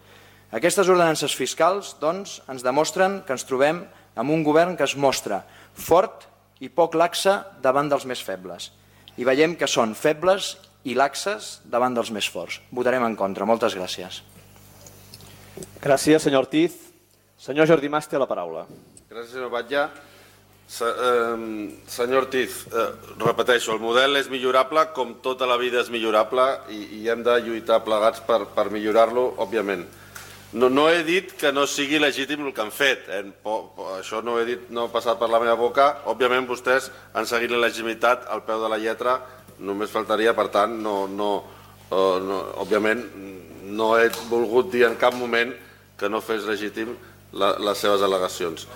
Aquestes ordenances fiscals, doncs, ens demostren que ens trobem amb un govern que es mostra fort i poc laxe davant dels més febles. I veiem que són febles i laxes davant dels més forts. Votarem en contra. Moltes gràcies. Gràcies, senyor Ortiz. Senyor Jordi Mas té la paraula. Gràcies, senyor Batlle. Senyor Ortiz, repeteixo, el model és millorable, com tota la vida és millorable i hem de lluitar plegats per millorar-lo, òbviament. No he dit que no sigui legítim el que han fet, això no ho he dit, no ha passat per la meva boca, òbviament vostès han seguit la legitimitat al peu de la lletra, només faltaria, per tant, òbviament no he volgut dir en cap moment que no fes legítim les seves al·legacions.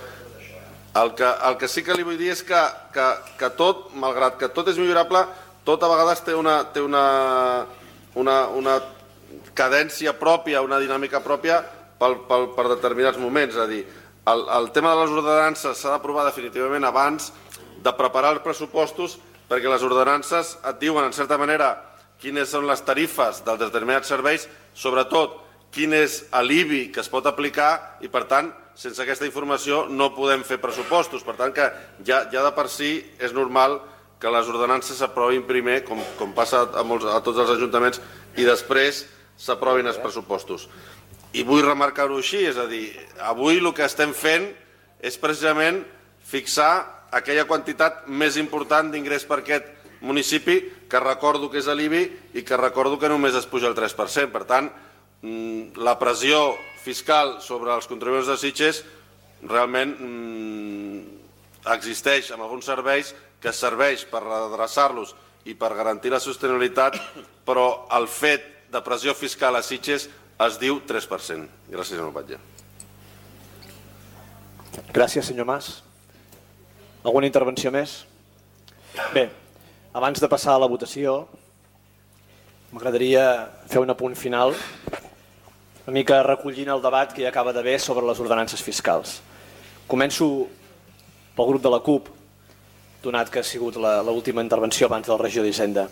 El que sí que li vull dir és que tot, malgrat que tot és millorable, tot a vegades té una cadència pròpia, una dinàmica pròpia per determinats moments. És a dir, el tema de les ordenances s'ha d'aprovar definitivament abans de preparar els pressupostos, perquè les ordenances et diuen, en certa manera, quines són les tarifes dels determinats serveis, sobretot quin és l'IBI que es pot aplicar i, per tant, sense aquesta informació no podem fer pressupostos. Per tant, que ja de per si és normal que les ordenances s'aprovin primer, com passa a tots els ajuntaments, i després s'aprovin els pressupostos. I vull remarcar-ho així, és a dir, avui el que estem fent és precisament fixar aquella quantitat més important d'ingrés per aquest municipi, que recordo que és l'IBI i que recordo que només es puja el 3%. Per tant, la pressió fiscal sobre els contribuents de Sitges realment existeix en alguns serveis que serveix per redreçar-los i per garantir la sostenibilitat, però el fet de pressió fiscal a Sitges es diu 3%. Gràcies, senyor Batlle. Gràcies, senyor Mas. Alguna intervenció més? Bé, abans de passar a la votació, m'agradaria fer un apunt final, una mica recollint el debat que hi acaba d'haver sobre les ordenances fiscals. Començo pel grup de la CUP, donat que ha sigut l'última intervenció abans del regidor d'Hisenda.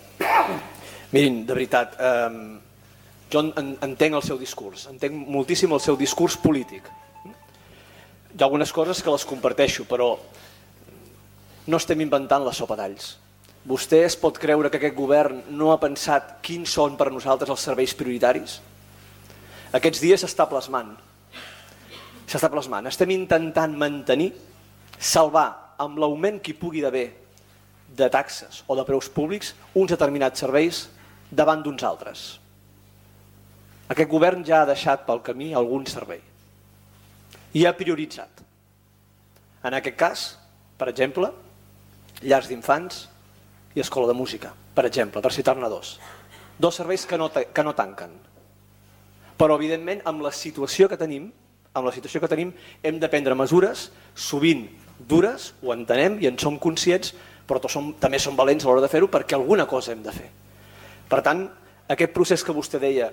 Mirin, de veritat, jo entenc el seu discurs, entenc moltíssim el seu discurs polític. Hi ha algunes coses que les comparteixo, però no estem inventant la sopa d'alls. Vostè es pot creure que aquest govern no ha pensat quins són per nosaltres els serveis prioritaris? Aquests dies s'està plasmant. Estem intentant mantenir, salvar amb l'augment que hi pugui haver de taxes o de preus públics uns determinats serveis davant d'uns altres. Aquest govern ja ha deixat pel camí algun servei i ha prioritzat. En aquest cas, per exemple, llars d'infants i escola de música, per exemple, per citar-ne dos. Dos serveis que no tanquen. Però, evidentment, amb la situació que tenim, hem de prendre mesures, sovint dures, ho entenem i en som conscients, però també som valents a l'hora de fer-ho perquè alguna cosa hem de fer. Per tant, aquest procés que vostè deia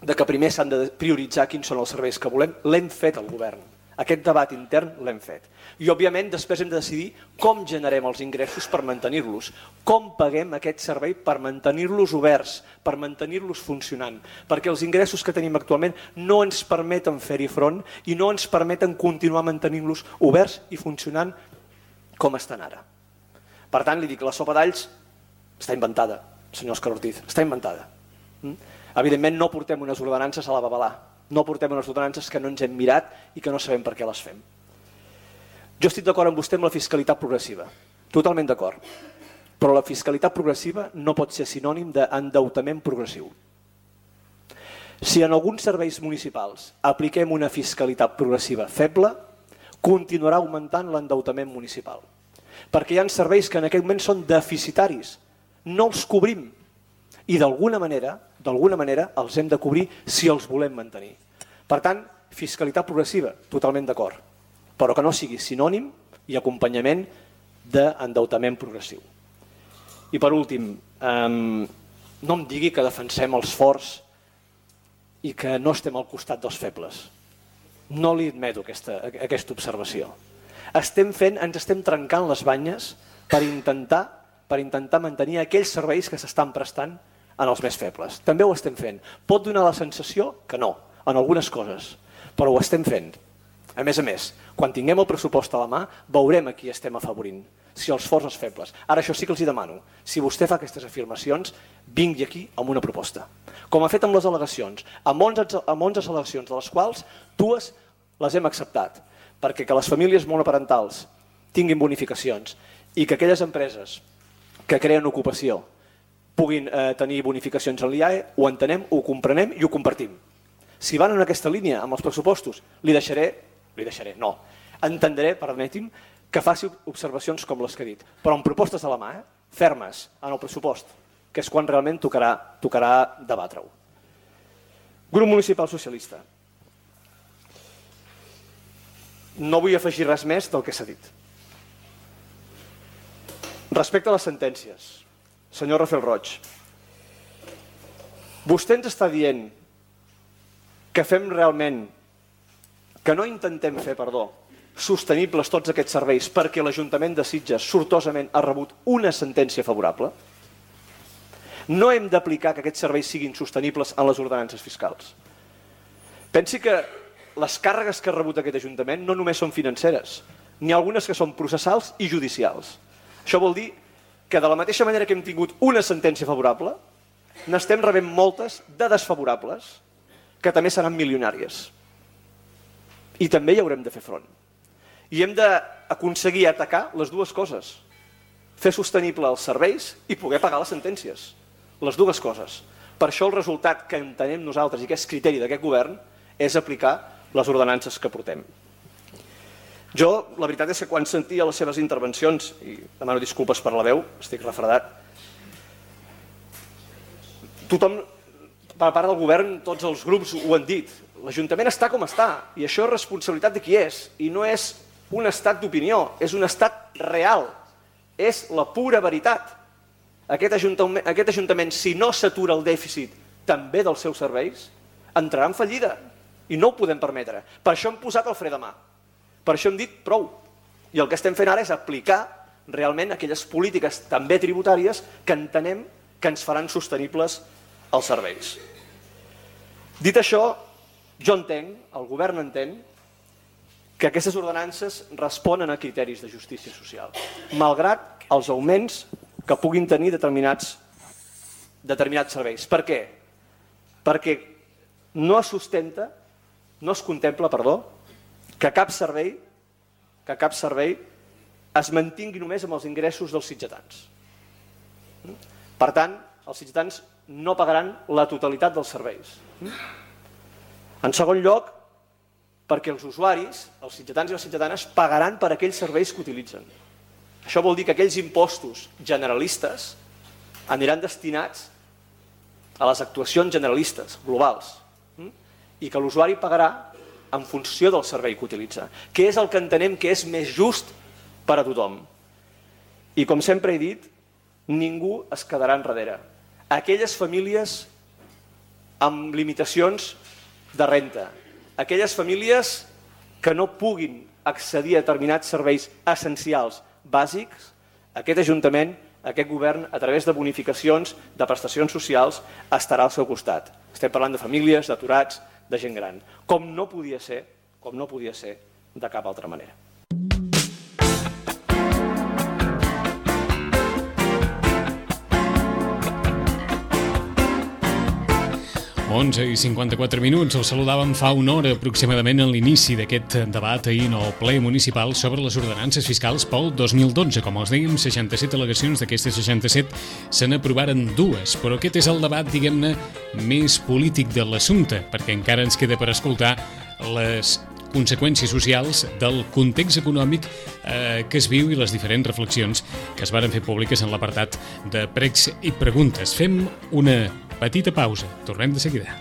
de que primer s'han de prioritzar quins són els serveis que volem, l'hem fet al govern. Aquest debat intern l'hem fet. I, òbviament, després hem de decidir com generem els ingressos per mantenir-los, com paguem aquest servei per mantenir-los oberts, per mantenir-los funcionant, perquè els ingressos que tenim actualment no ens permeten fer-hi front i no ens permeten continuar mantenint-los oberts i funcionant com estan ara. Per tant, li dic, la sopa d'alls està inventada, senyor Òscar Ortiz, està inventada. Evidentment, no portem unes ordenances a la babalà. No portem unes ordenances que no ens hem mirat i que no sabem per què les fem. Jo estic d'acord amb vostè amb la fiscalitat progressiva, totalment d'acord, però la fiscalitat progressiva no pot ser sinònim d'endeutament progressiu. Si en alguns serveis municipals apliquem una fiscalitat progressiva feble, continuarà augmentant l'endeutament municipal, perquè hi ha serveis que en aquest moment són deficitaris, no els cobrim, i d'alguna manera els hem de cobrir si els volem mantenir. Per tant, fiscalitat progressiva, totalment d'acord, però que no sigui sinònim i acompanyament d'endeutament progressiu. I per últim, no em digui que defensem els forts i que no estem al costat dels febles. No li admeto aquesta observació. Ens estem trencant les banyes per intentar mantenir aquells serveis que s'estan prestant en els més febles. També ho estem fent. Pot donar la sensació que no, en algunes coses, però ho estem fent. A més, quan tinguem el pressupost a la mà, veurem a qui estem afavorint, si els forts o els febles. Ara, això sí que els hi demano. Si vostè fa aquestes afirmacions, vingui aquí amb una proposta. Com ha fet amb les al·legacions, amb 11 al·legacions, de les quals 2 les hem acceptat, perquè que les famílies monoparentals tinguin bonificacions i que aquelles empreses que creen ocupació puguin tenir bonificacions en l'IAE, ho entenem, ho comprenem i ho compartim. Si van en aquesta línia amb els pressupostos, entendré, permeti'm, que faci observacions com les que he dit, però amb propostes a la mà, fermes, en el pressupost, que és quan realment tocarà debatre-ho. Grup Municipal Socialista. No vull afegir res més del que s'ha dit. Respecte a les sentències, senyor Rafael Roig, vostè ens està dient que fem realment, que no intentem fer, sostenibles tots aquests serveis perquè l'Ajuntament de Sitges sortosament ha rebut una sentència favorable? No hem d'aplicar que aquests serveis siguin sostenibles en les ordenances fiscals. Pensi que les càrregues que ha rebut aquest Ajuntament no només són financeres, n'hi ha algunes que són processals i judicials. Això vol dir que de la mateixa manera que hem tingut una sentència favorable, n'estem rebent moltes de desfavorables, que també seran milionàries. I també hi haurem de fer front. I hem d'aconseguir atacar les dues coses. Fer sostenible els serveis i poder pagar les sentències. Les dues coses. Per això el resultat que entenem nosaltres i que és criteri d'aquest govern és aplicar les ordenances que portem. Jo, la veritat és que quan sentia les seves intervencions, i demano disculpes per la veu, estic refredat, tothom, per part del govern, tots els grups ho han dit. L'Ajuntament està com està, i això és responsabilitat de qui és, i no és un estat d'opinió, és un estat real, és la pura veritat. Aquest Ajuntament, si no s'atura el dèficit també dels seus serveis, entrarà en fallida i no ho podem permetre. Per això hem posat el fre de mà, per això hem dit prou. I el que estem fent ara és aplicar realment aquelles polítiques també tributàries que entenem que ens faran sostenibles els serveis. Dit això, jo entenc, el govern entén, que aquestes ordenances responen a criteris de justícia social, malgrat els augments que puguin tenir determinats serveis. Per què? Perquè no es contempla que cap servei es mantingui només amb els ingressos dels sitgetans. Per tant, els sitgetans no pagaran la totalitat dels serveis. En segon lloc, perquè els usuaris, els sitgetans i les sitgetanes, pagaran per aquells serveis que utilitzen. Això vol dir que aquells impostos generalistes aniran destinats a les actuacions generalistes, globals, i que l'usuari pagarà en funció del servei que utilitza, que és el que entenem que és més just per a tothom. I com sempre he dit, ningú es quedarà enrere. Aquelles famílies amb limitacions de renta, aquelles famílies que no puguin accedir a determinats serveis essencials bàsics, aquest Ajuntament, aquest govern, a través de bonificacions, de prestacions socials, estarà al seu costat. Estem parlant de famílies, d'aturats, de gent gran, com no podia ser de cap altra manera. Onze i 54 minuts. El saludàvem fa una hora aproximadament en l'inici d'aquest debat ahir en el ple municipal sobre les ordenances fiscals pel 2012. Com els dèiem, 67 al·legacions, d'aquestes 67 se n'aprovaren 2, però aquest és el debat, diguem-ne, més polític de l'assumpte, perquè encara ens queda per escoltar les conseqüències socials del context econòmic que es viu i les diferents reflexions que es varen fer públiques en l'apartat de pregs i preguntes. Fem una petita pausa. Tornem de seguida.